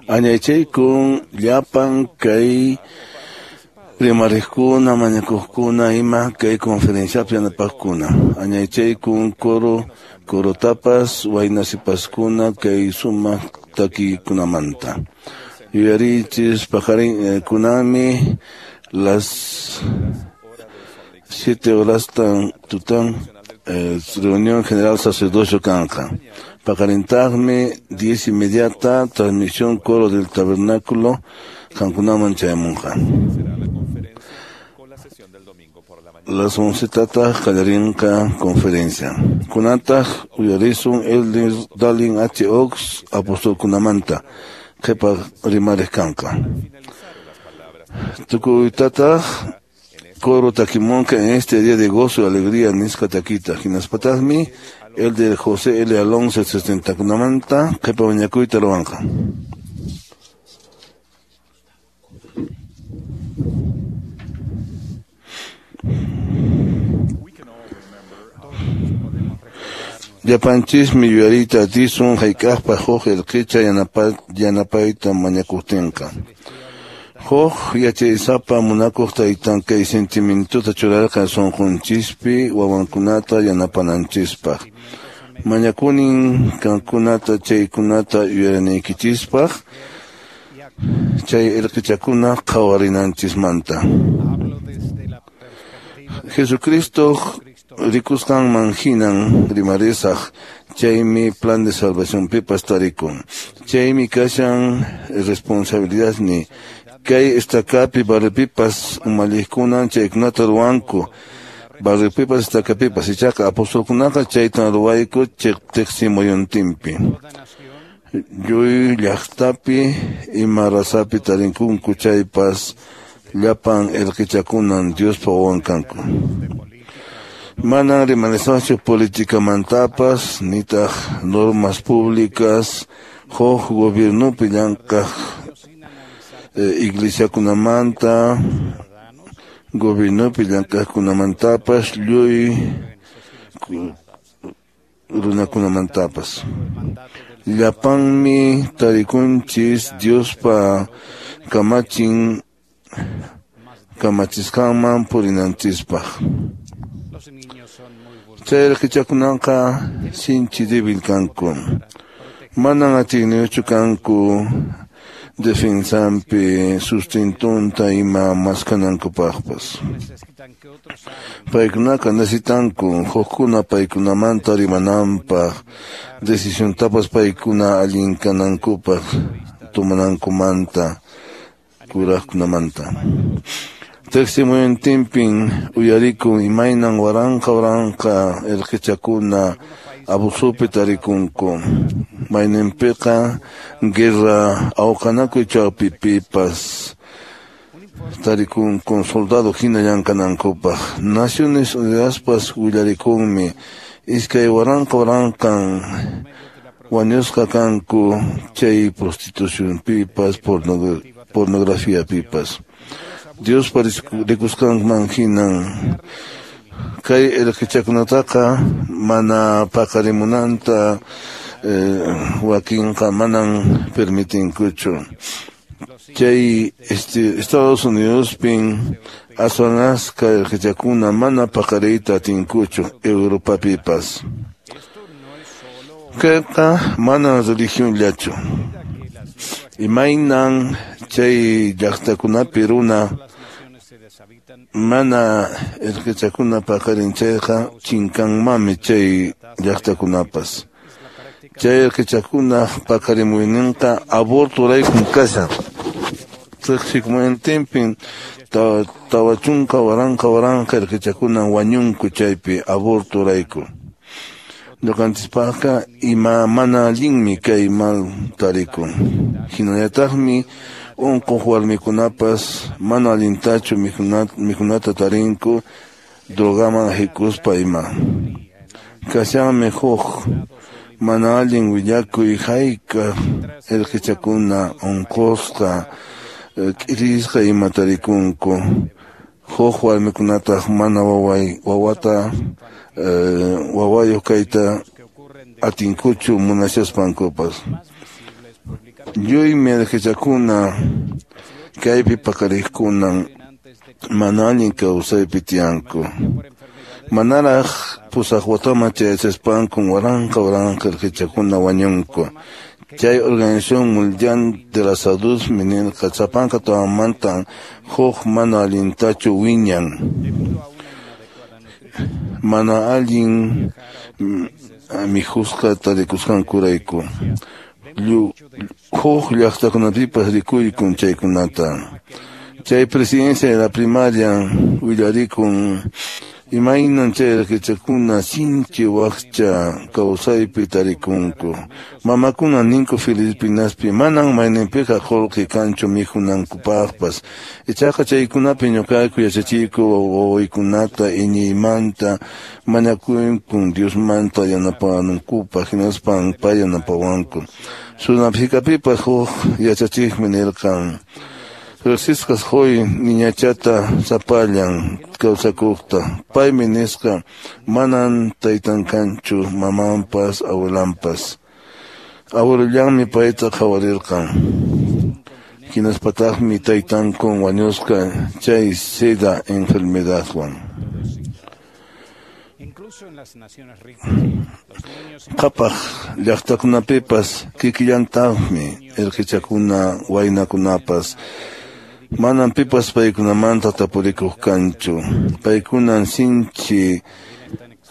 Añaychaykun llapan kay rimariqkuna mañakuqkuna ima kay conferenciapi yanapaqkuna. Añaychaykun corotapas waynasipaskuna kay sumaq takikunamanta. Yuyarichis paqarin kunami las 7 horas tutan reunión general sacerdocio kanqa. Paqarintaqmi 10:30 transmisión coro del tabernáculo qankunaman chayamunqa. Las 11 tataq qallarinqa conferencia. Kunataq uyarisun Elder Dallin H. Oaks apostolkunamanta qhipa rimariq kanqa. Tukuytataq coro takimunqa en este día de gozo y alegría nisqa takita. Hinaspataqmi Elder José L. Alonso 70kunamanta qhipa mañakuyta ruwanqa. Llapanchismi yuyariyta atisun hayk'aqpaq huk irqicha yanapayta mañakuqtinqa. Huk yachaysapa munakuq taytan kay sentimientuta churarqa sunqunchispi wawankunata yanapananchispaq. Mañakunin qankunata chaykunata yuyarinaykichispaq chay irqichakuna qhawarinanchismanta. Jesucristo rikusqanman hinan rimarisaq chaymi plan de salvación pipas tarikun. Chaymi kashan responsabilidad ni kay estakapi barripipas umalliqkunan chaykunata ruwanku. Barripipas estakapipas ichaqa apostolkunaqa chaytan ruwayku tiqsimuyuntinpi. Lluy llaqtapi ima rasapi tarinkunku chaypas llapan irqichakunan Diospa wawan kanku. Manan rimanisaqchu politikamantapas nitaq normas públicas huk gobiernopi llank'aq iglesiakunamanta gobiernopi llank'aqkunamantapas lluy runakunamantapas. Llapanmi tarikunchis Diospa kamachin kamachisqanman purinanchispaq. Chay irqichakunaqa sinchi débil kanku. Manan atiyniyuqchu kanku defensampi sustentunta ima maskanankupaqpas. Paykunaqa necesitanku hukkuna paykunamanta rimananpaq, decisiontapas paykuna allin kanankupaq tomanankumanta, kuraqkunamanta. Testimoniotinpin uyarikun imaynan waranqa waranqa irqichakuna abusupi tarikunku. Mayninpiqa guerra awqanakuy chawpipipas tarikunku soldado hina llank'anankupaq. Naciones Unidaspas willarikunmi iskay waranqa waranqan wañusqa kanku chay prostitucionpipas pornografiapipas. Diospa rikusqanman hinan kay irqichakunataqa mana paqarimunanta wakinqa manan permitinkuchu. Chay Estados Unidospin aswan askha irqichakuna mana paqariyta atinkuchu Europapipas. Kayqa mana religionllachu. Imaynan chay llaqtakunapi runa mana irqichakuna paqarin chayqa chinkanmanmi chay llaqtakunapas. Chay irqichakuna paqarimuyninqa abortoraykun kashan. Riqsikmuntinpin 40 waranqa waranqa irqichakuna wañunku chaypi abortorayku. Ñuqanchispaqqa ima mana allinmi kay mal tarikun. Hinallataqmi unquq warmikunapas mana allintachu mikhunata tarinku drogaman hikuspa ima. Kashanmi huk mana allin willakuy hayka irqichakuna unqusqa k'irisqa ima tarikunku. Huk warmikunataq mana wawata wawayuq kayta atinkuchu munashaspankupas. Lluymi irqichakuna kaypi paqariqkunan mana allin kawsaypi tiyanku. Manaraq 8 wataman chayachaspankun waranqa waranqa irqichakuna wañunku. Chay Organización Mundial de la Salud nirqa sapanka tawamantan huk mana allintachu wiñan. Mana allin mikhusqa tarikusqankurayku. Huk llaqtakunapipas rikuykun chaykunata. Chay presidencia de la primaria willarikun imaynan chay irqichakuna sinchi wakcha kawsaypi tarikunku. Mamakuna ninku Filipinaspi manan mayninpiqa qullqi kanchu mikhunankupaqpas. Ichaqa chaykunapi ñuqayku yachachiyku wawaykunata iñiymanta mañakuykun Diosmanta yanapanankupaq hinaspan pay yanapawanku. Sudáfricapipas huk yachachiqmi nirqan riqsisqas huy niñachata sapallan kawsakuqta. Paymi nisqa manan taytan kanchu mamanpas abuelanpas. Abuelollanmi payta qhawarirqan. Hinaspataqmi taytankun wañusqa chay sida enfermedadwan. Qhapaq llaqtakunapipas kikillantaqmi irqichakuna waynakunapas. Manan pipas paykunamanta tapurikuq kanchu. Paykunan sinchi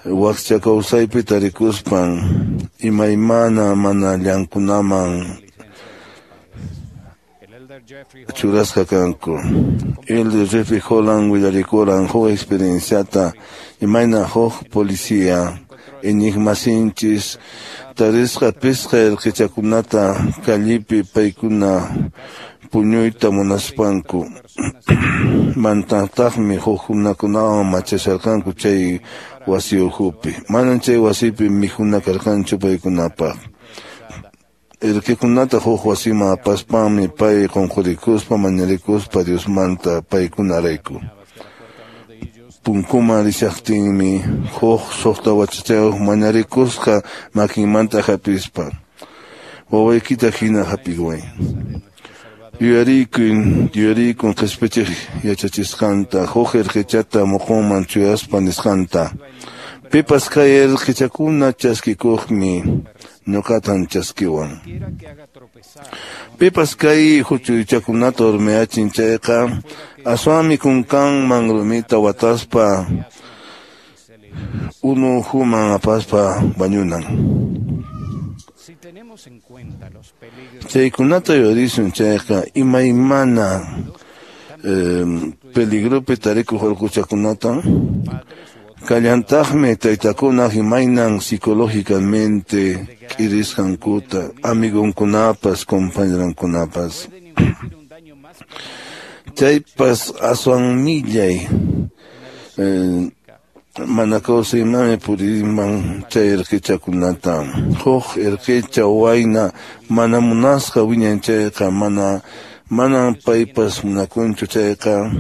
wakcha kawsaypi tarikuspan imaymana mana llankunaman churasqa kanku. Elder Jeffrey Holland willarikuran huk experienciata imayna huk policía iñiqmasinchis tarisqa pisqa irqichakunata callipi paykuna Puñuyta munaspanku mantataqmi hukkunakunawan machasharqanku chay wasi ukhupi. Manan chay wasipi mikhuna karqanchu paykunapaq. Irqikunata huk wasiman apaspanmi pay qunqurikuspa mañarikuspa Diosmanta paykunarayku. Punkuman rishaqtinmi huk suqta wachachayuq mañarikusqa makinmanta hapispa. Wawaykita hina hapiway. Yuyarikun qhispichiq yachachisqanta, huk irqichata muqunman chuyaspa nisqanta. Pipas kay irqichakuna chaskikuqmi ñuqatan chaskiwan. Pipas kay huch'uychakunata urmayachin chayqa aswanmi kunkanman rumita wataspa unu ukhuman apaspa wañunan. Chaykunata yuyarisun chayqa imaymana peligropi tarikuq urquchakunata kallantaqmi taytakunaq imaynan psicológicamente k'irisqankuta amigonkunapas compañerankunapas. Chaypas aswan millay mana kawsaymanmi purinman chay irqichakunata. Huk irqicha wayna mana munasqa wiñan chayqa manan paypas munakunchu chayqa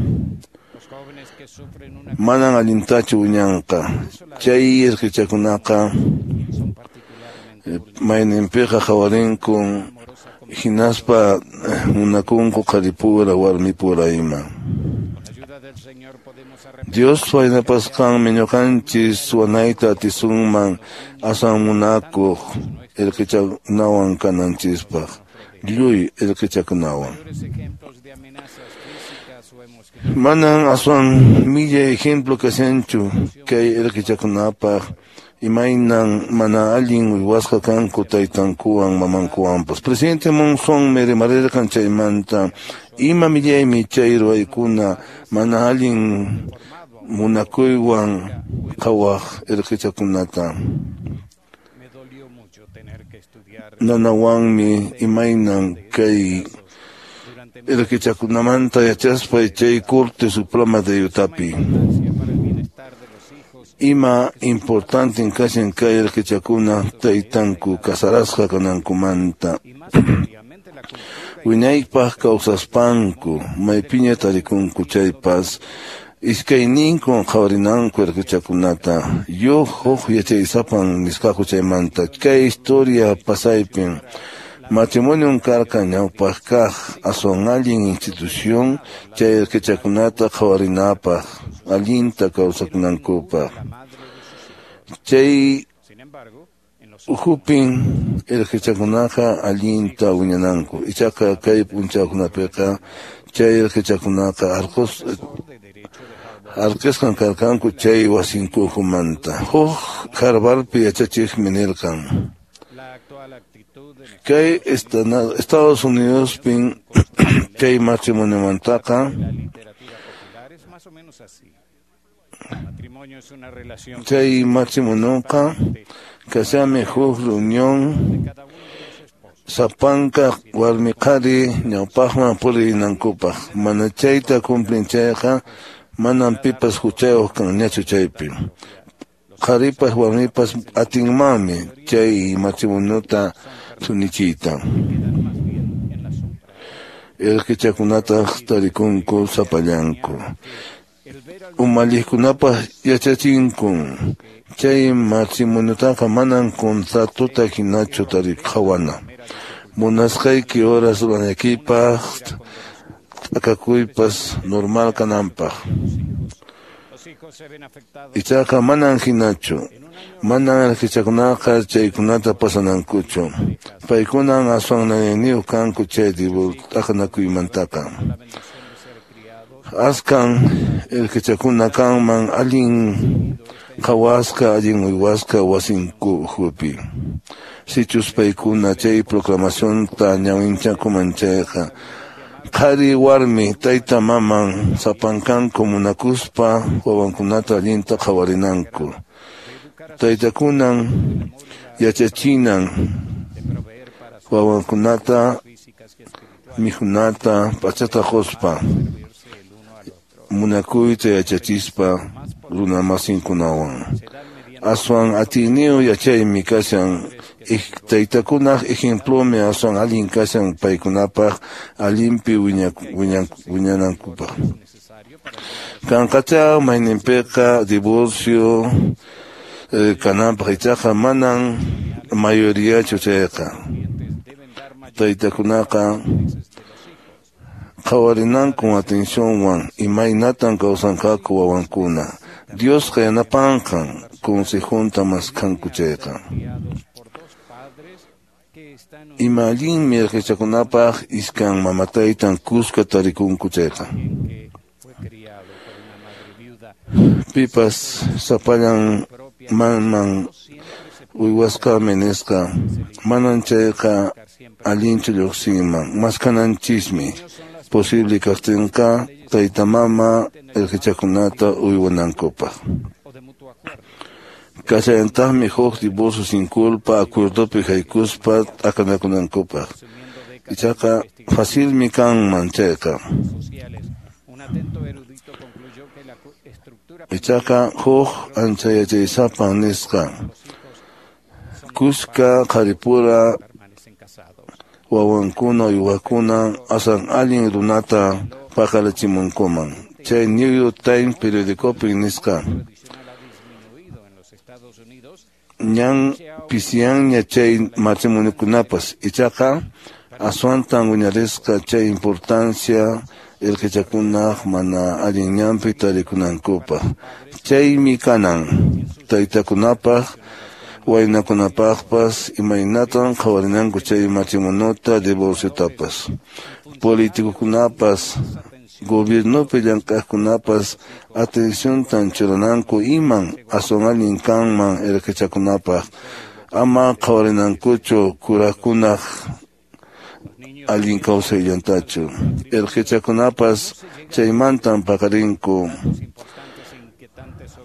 manan allintachu wiñanqa. Chay irqichakunaqa mayninpiqa qhawarinku hinaspa munakunku qharipura warmipura ima. Dios waynapasqanmi ñuqanchis wanayta atisunman aswan munakuq irqichakunawan kananchispaq, lluy irqichakunawan. Manan aswan millay ejemplo kashanchu kay irqichakunapaq imaynan mana allin uywasqa kanku taytankuwan mamankuwanpas. Presidente Monson rimarirqan chaymanta ima millaymi chay ruwaykuna mana allin munakuywan qhawaq irqichakunata. Nanawanmi imaynan kay irqichakunamanta yachaspay chay Corte Suprema de Utapi. Ima importante kashan kay irqichakuna taytanku kasarasqa kanankumanta. Wiñaypaq kawsaspanku maypiña tarikunku chaypas iskayninkun qhawarinanku irqichakunata. Yuq huk yachaysapan nisqaku chaymanta. Kay historia pasaypin matrimonio karqa ñawpaq kaq aswan allin institución chay irqichakunata qhawarinapaq allinta kawsakunankupaq. Chay ukhupin irqichakunaqa allinta wiñananku. Ichaqa kay p'unchawkunapiqa chay irqichakunaqa arqisqan karqanku chay wasinku ukhumanta. Huk Harvardpi yachachiqmi nirqan kay Estados Unidospin chay matrimoniomantaqa chay matrimonioqa kashanmi huk reunión sapanka warmi qhari ñawpaqman purinankupaq. Mana chayta cumplin chayqa manan pipas huchayuq kanñachu chaypi. Qharipas warmipas atinmanmi chay matrimoniota thunichiyta. Irqichakunataq tarikunku sapallanku. Umalliqkunapaq yachachinkun chay matrimoniotaqa manan contratota hinachu qhawana. Munasqayki horas ruranaykipaq t'akakuypas normal kananpaq. Ichaqa manan hinachu. Manan irqichakunaqa chaykunata pasanankuchu. Paykunan aswan nanayniyuq kanku chay t'aqanakuymantaqa. Askan irqichakuna kanman allin qhawasqa allin uywasqa wasinku ukhupi. Sichus paykuna chay proclamacionta ñawinchakuman chayqa qhari warmi tayta maman sapankanku munakuspa wawankunata allinta qhawarinanku. Taytakunan yachachinan wawankunata Mikhunata p'achata quspa munakuyta yachachispa runamasinkunawan. Aswan atiyniyuq yachaymi kashan taytakunaq ejemplomi aswan allin kashan paykunapaq allinpi wiñanankupaq. Kanqacha mayninpiqa divorcio kananpaq ichaqa manan mayoriachu chayqa. Taytakunaqa qhawarinankun atencionwan imaynatan kawsanqaku wawankuna. Diosqa yanapanqan consejunta maskanku chayqa. Ima allinmi irqichakunapaq iskan mamataytan kuska tarikunku chayqa. Pipas sapallan maman uywasqami nisqa manan chayqa allinchu lluqsinman maskananchismi posible kaqtinqa tayta mama irqichakunata uywanankupaq. Kashallantaqmi huk divorcio sin culpa acuerdopi haykuspa t'aqanakunankupaq. Ichaqa facilmi kanman chayqa. Ichaqa huk ancha yachaysapan nisqa kuska qharipura wawankuna uywakuna aswan allin runata paqarichimunkuman. Chay New York Times periodicopi nisqa ñan pisiyanña chay matrimoniokunapas ichaqa aswantan wiñarisqa chay importancia irqichakunaq mana allin ñanpi tarikunankupaq. Chaymi kanan taytakunapaq waynakunapaqpas imaynatan qhawarinanku chay matrimonota divorciotapas. Políticokunapas gobiernopi llank'aqkunapas atenciontan churananku iman aswan allin kanman irqichakunapaq ama qhawarinankuchu kuraqkunaq allin kawsayllantachu. Irqichakunapas chaymantan paqarinku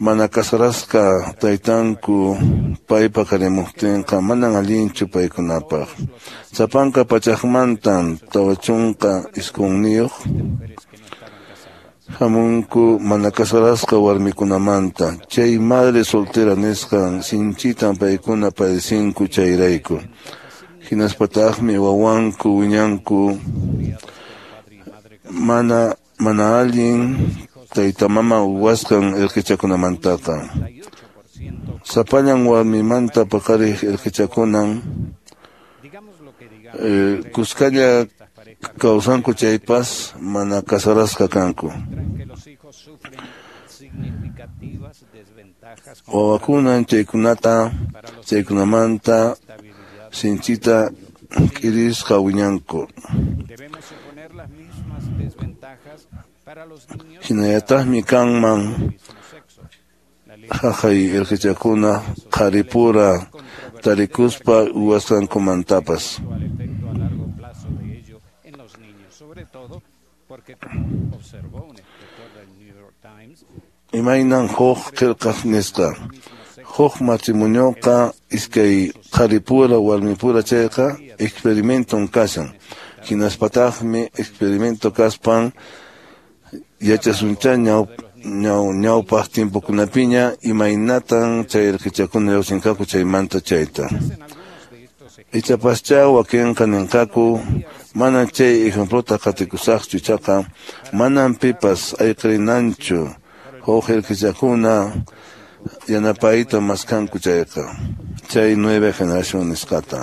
mana kasarasqa taytanku pay paqarimuqtinqa manan allinchu paykunapaq. Sapanka pachaqmantan 49 hamunku mana kasarasqa warmikunamanta. Chay madre soltera nisqan sinchitan paykuna padecinku chayrayku. Hinaspataqmi wawanku wiñanku mana allin tayta mama uywasqan irqichakunamantaqa. Sapallan warmimanta paqariq irqichakunan kuskalla kawsanku chaypas mana kasarasqa kanku. Wawakunan chaykunamanta sinchita k'irisqa wiñanku. Hinallataqmi kanman haqay irqichakuna qharipura tarikuspa uywasqankumantapas. Imaynan huk qillqaq nisqa huk matrimonioqa iskay qharipura warmipura chayqa experimenton kashan. Hinaspataqmi experimento kaspan yachasuncha ñawpaq tiempokunapiña imaynatan chay irqichakuna lluqsinqaku chaymanta chayta. Ichapascha wakinqa ninqaku manan chay ejemplota qatikusaqchu ichaqa manan pipas ayqirinanchu huk irqichakuna yanapayta maskanku chayqa. Chay nueva generación nisqata.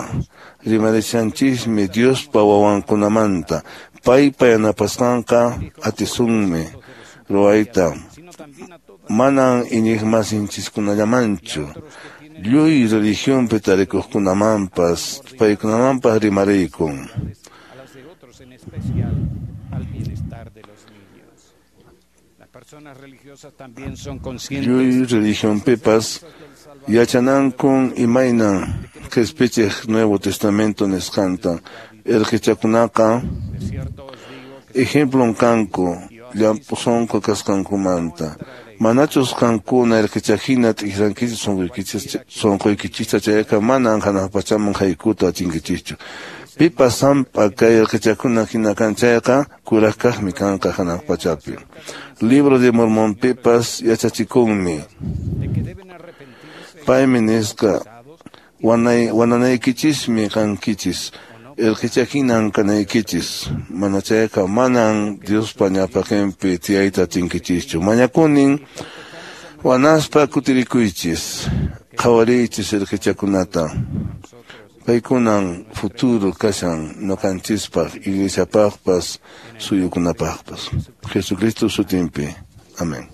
Rimarishanchismi Diospa wawankunamanta paypa yanapasqanqa atisunmi ruwayta manan iñiqmasinchiskunallamanchu lluy religionpi tarikuqkunamanpas paykunamanpas rimariykun. Lluy religionpipas yachanankun imaynan qhispichiq Nuevo Testamento nisqanta. Irqichakunaqa ejemplon kanku llamp'u sunqu kasqankumanta. Manachus qankuna irqichahina t'ikrankichis sunquykichista chayqa manan hanaq pachaman haykuta atinkichischu. Pipas sampa kay irqichakuna hina kan chayqa kuraq kaqmi kanqa hanaq pachapi. Libro de Mormón pipas yachachikunmi. Paymi nisqa wananaykichismi kankichis. Irqicha hinan kanaykichis. Mana chayqa manan Diospa ñawpaqinpi tiyayta atinkichischu. Mañakunin wanaspa kutirikuychis. Qhawariychis irqichakunata. Paykunan futuro kashan ñuqanchispaq, iglesiapaqpas, suyukunapaqpas. Jesucristo sutinpi. Amén.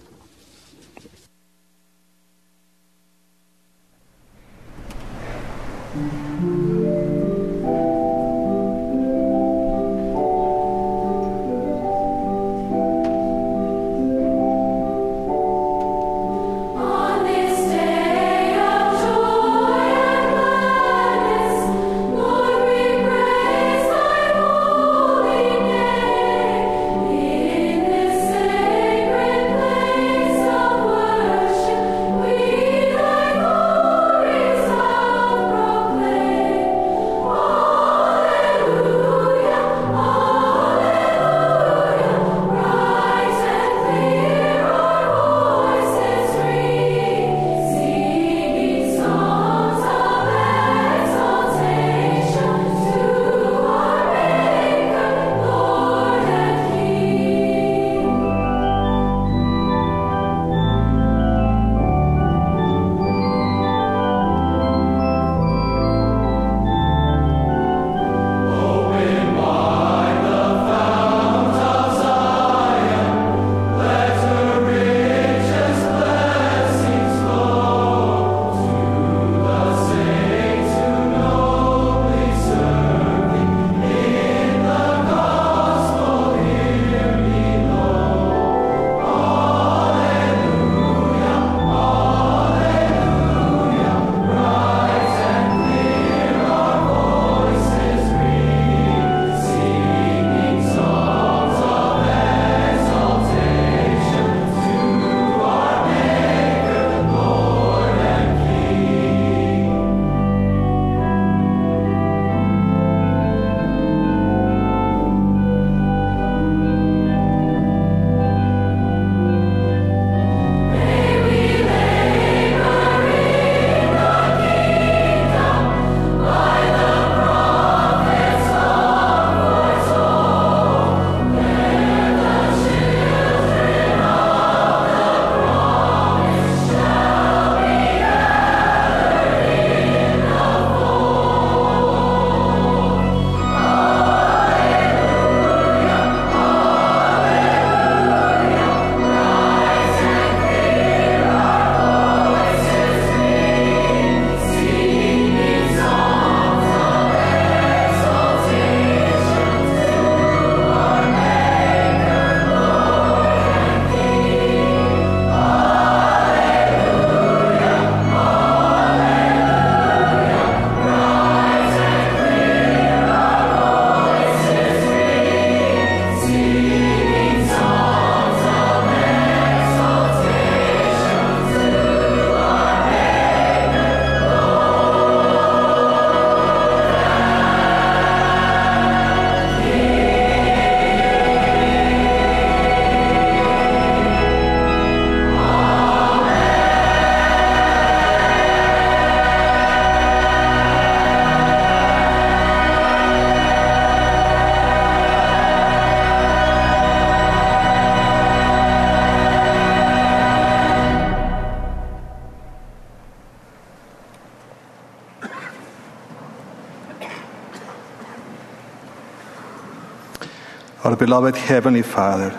Our beloved Heavenly Father,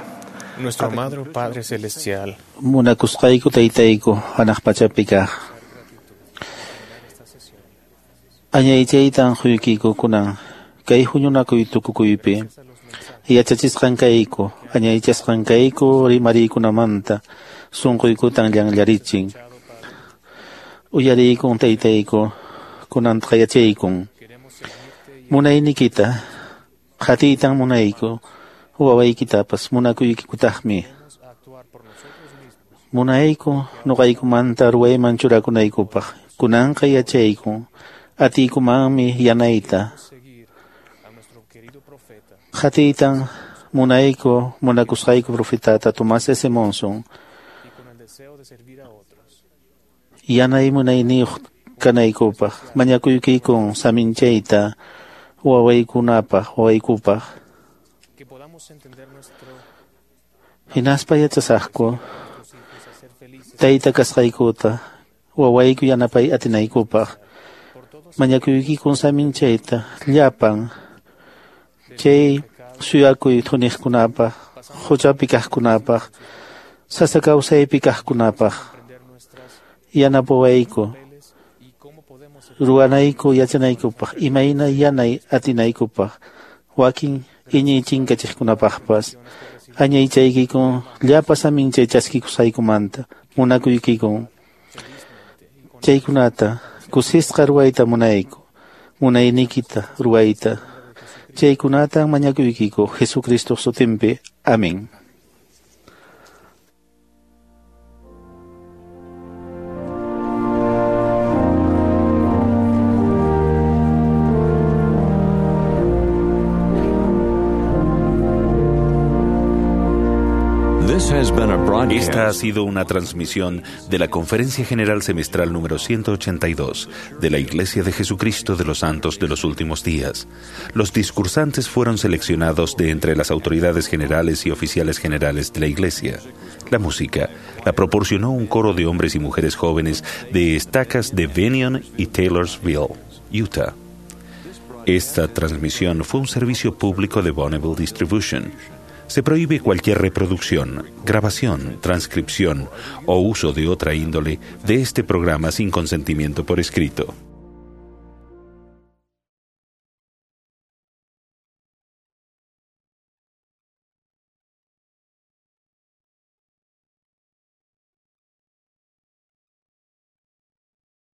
Nuestro amado Padre Celestial, Munakusqayku taytayku hanaq pachapi kaq. Añaychaytan quykiku kunan kay huñunakuy tukukuypi yachachisqan kayku añaychasqan kayku rimariykunamanta sunquykutan llanllarichin. Uyariykun taytayku kunantaqa yachaykun. Munaynikita qatiytan munayku wawaykitapas munakuykikutaqmi. Munayku nuqaykumanta ruwayman churakunaykupaq kunanqa yachayku atiykumanmi yanayta. Qatiytan munayku munakusqayku profetata Tomás S. Monson. Yanay munayniyuq kanaykupaq mañakuykikun saminchayta wawaykunapaq wawaykupaq. Hinaspa yachasaqku tayta kasqaykuta wawayku yanapay atinaykupaq mañakuykikun saminchayta llapan chay suyakuy thuniqkunapaq huchapi kaqkunapaq sasa kawsaypi kaqkunapaq yanapawayku ruwanayku yachanaykupaq imayna yanay atinaykupaq wakin iñiy chinkachiqkunapaqpas añaychaykikun llapa saminchay chaskikusqaykumanta munakuykikun chaykunata kusisqa ruwayta munayku munayniykita ruwayta chaykunatan mañakuykiku Jesucristo sutinpi. Amén. Esta ha sido una transmisión de la Conferencia General Semestral número 182 de la Iglesia de Jesucristo de los Santos de los Últimos Días. Los discursantes fueron seleccionados de entre las autoridades generales y oficiales generales de la Iglesia. La música la proporcionó un coro de hombres y mujeres jóvenes de estacas de Bennion y Taylorsville, Utah. Esta transmisión fue un servicio público de Bonneville Distribution. Se prohíbe cualquier reproducción, grabación, transcripción o uso de otra índole de este programa sin consentimiento por escrito.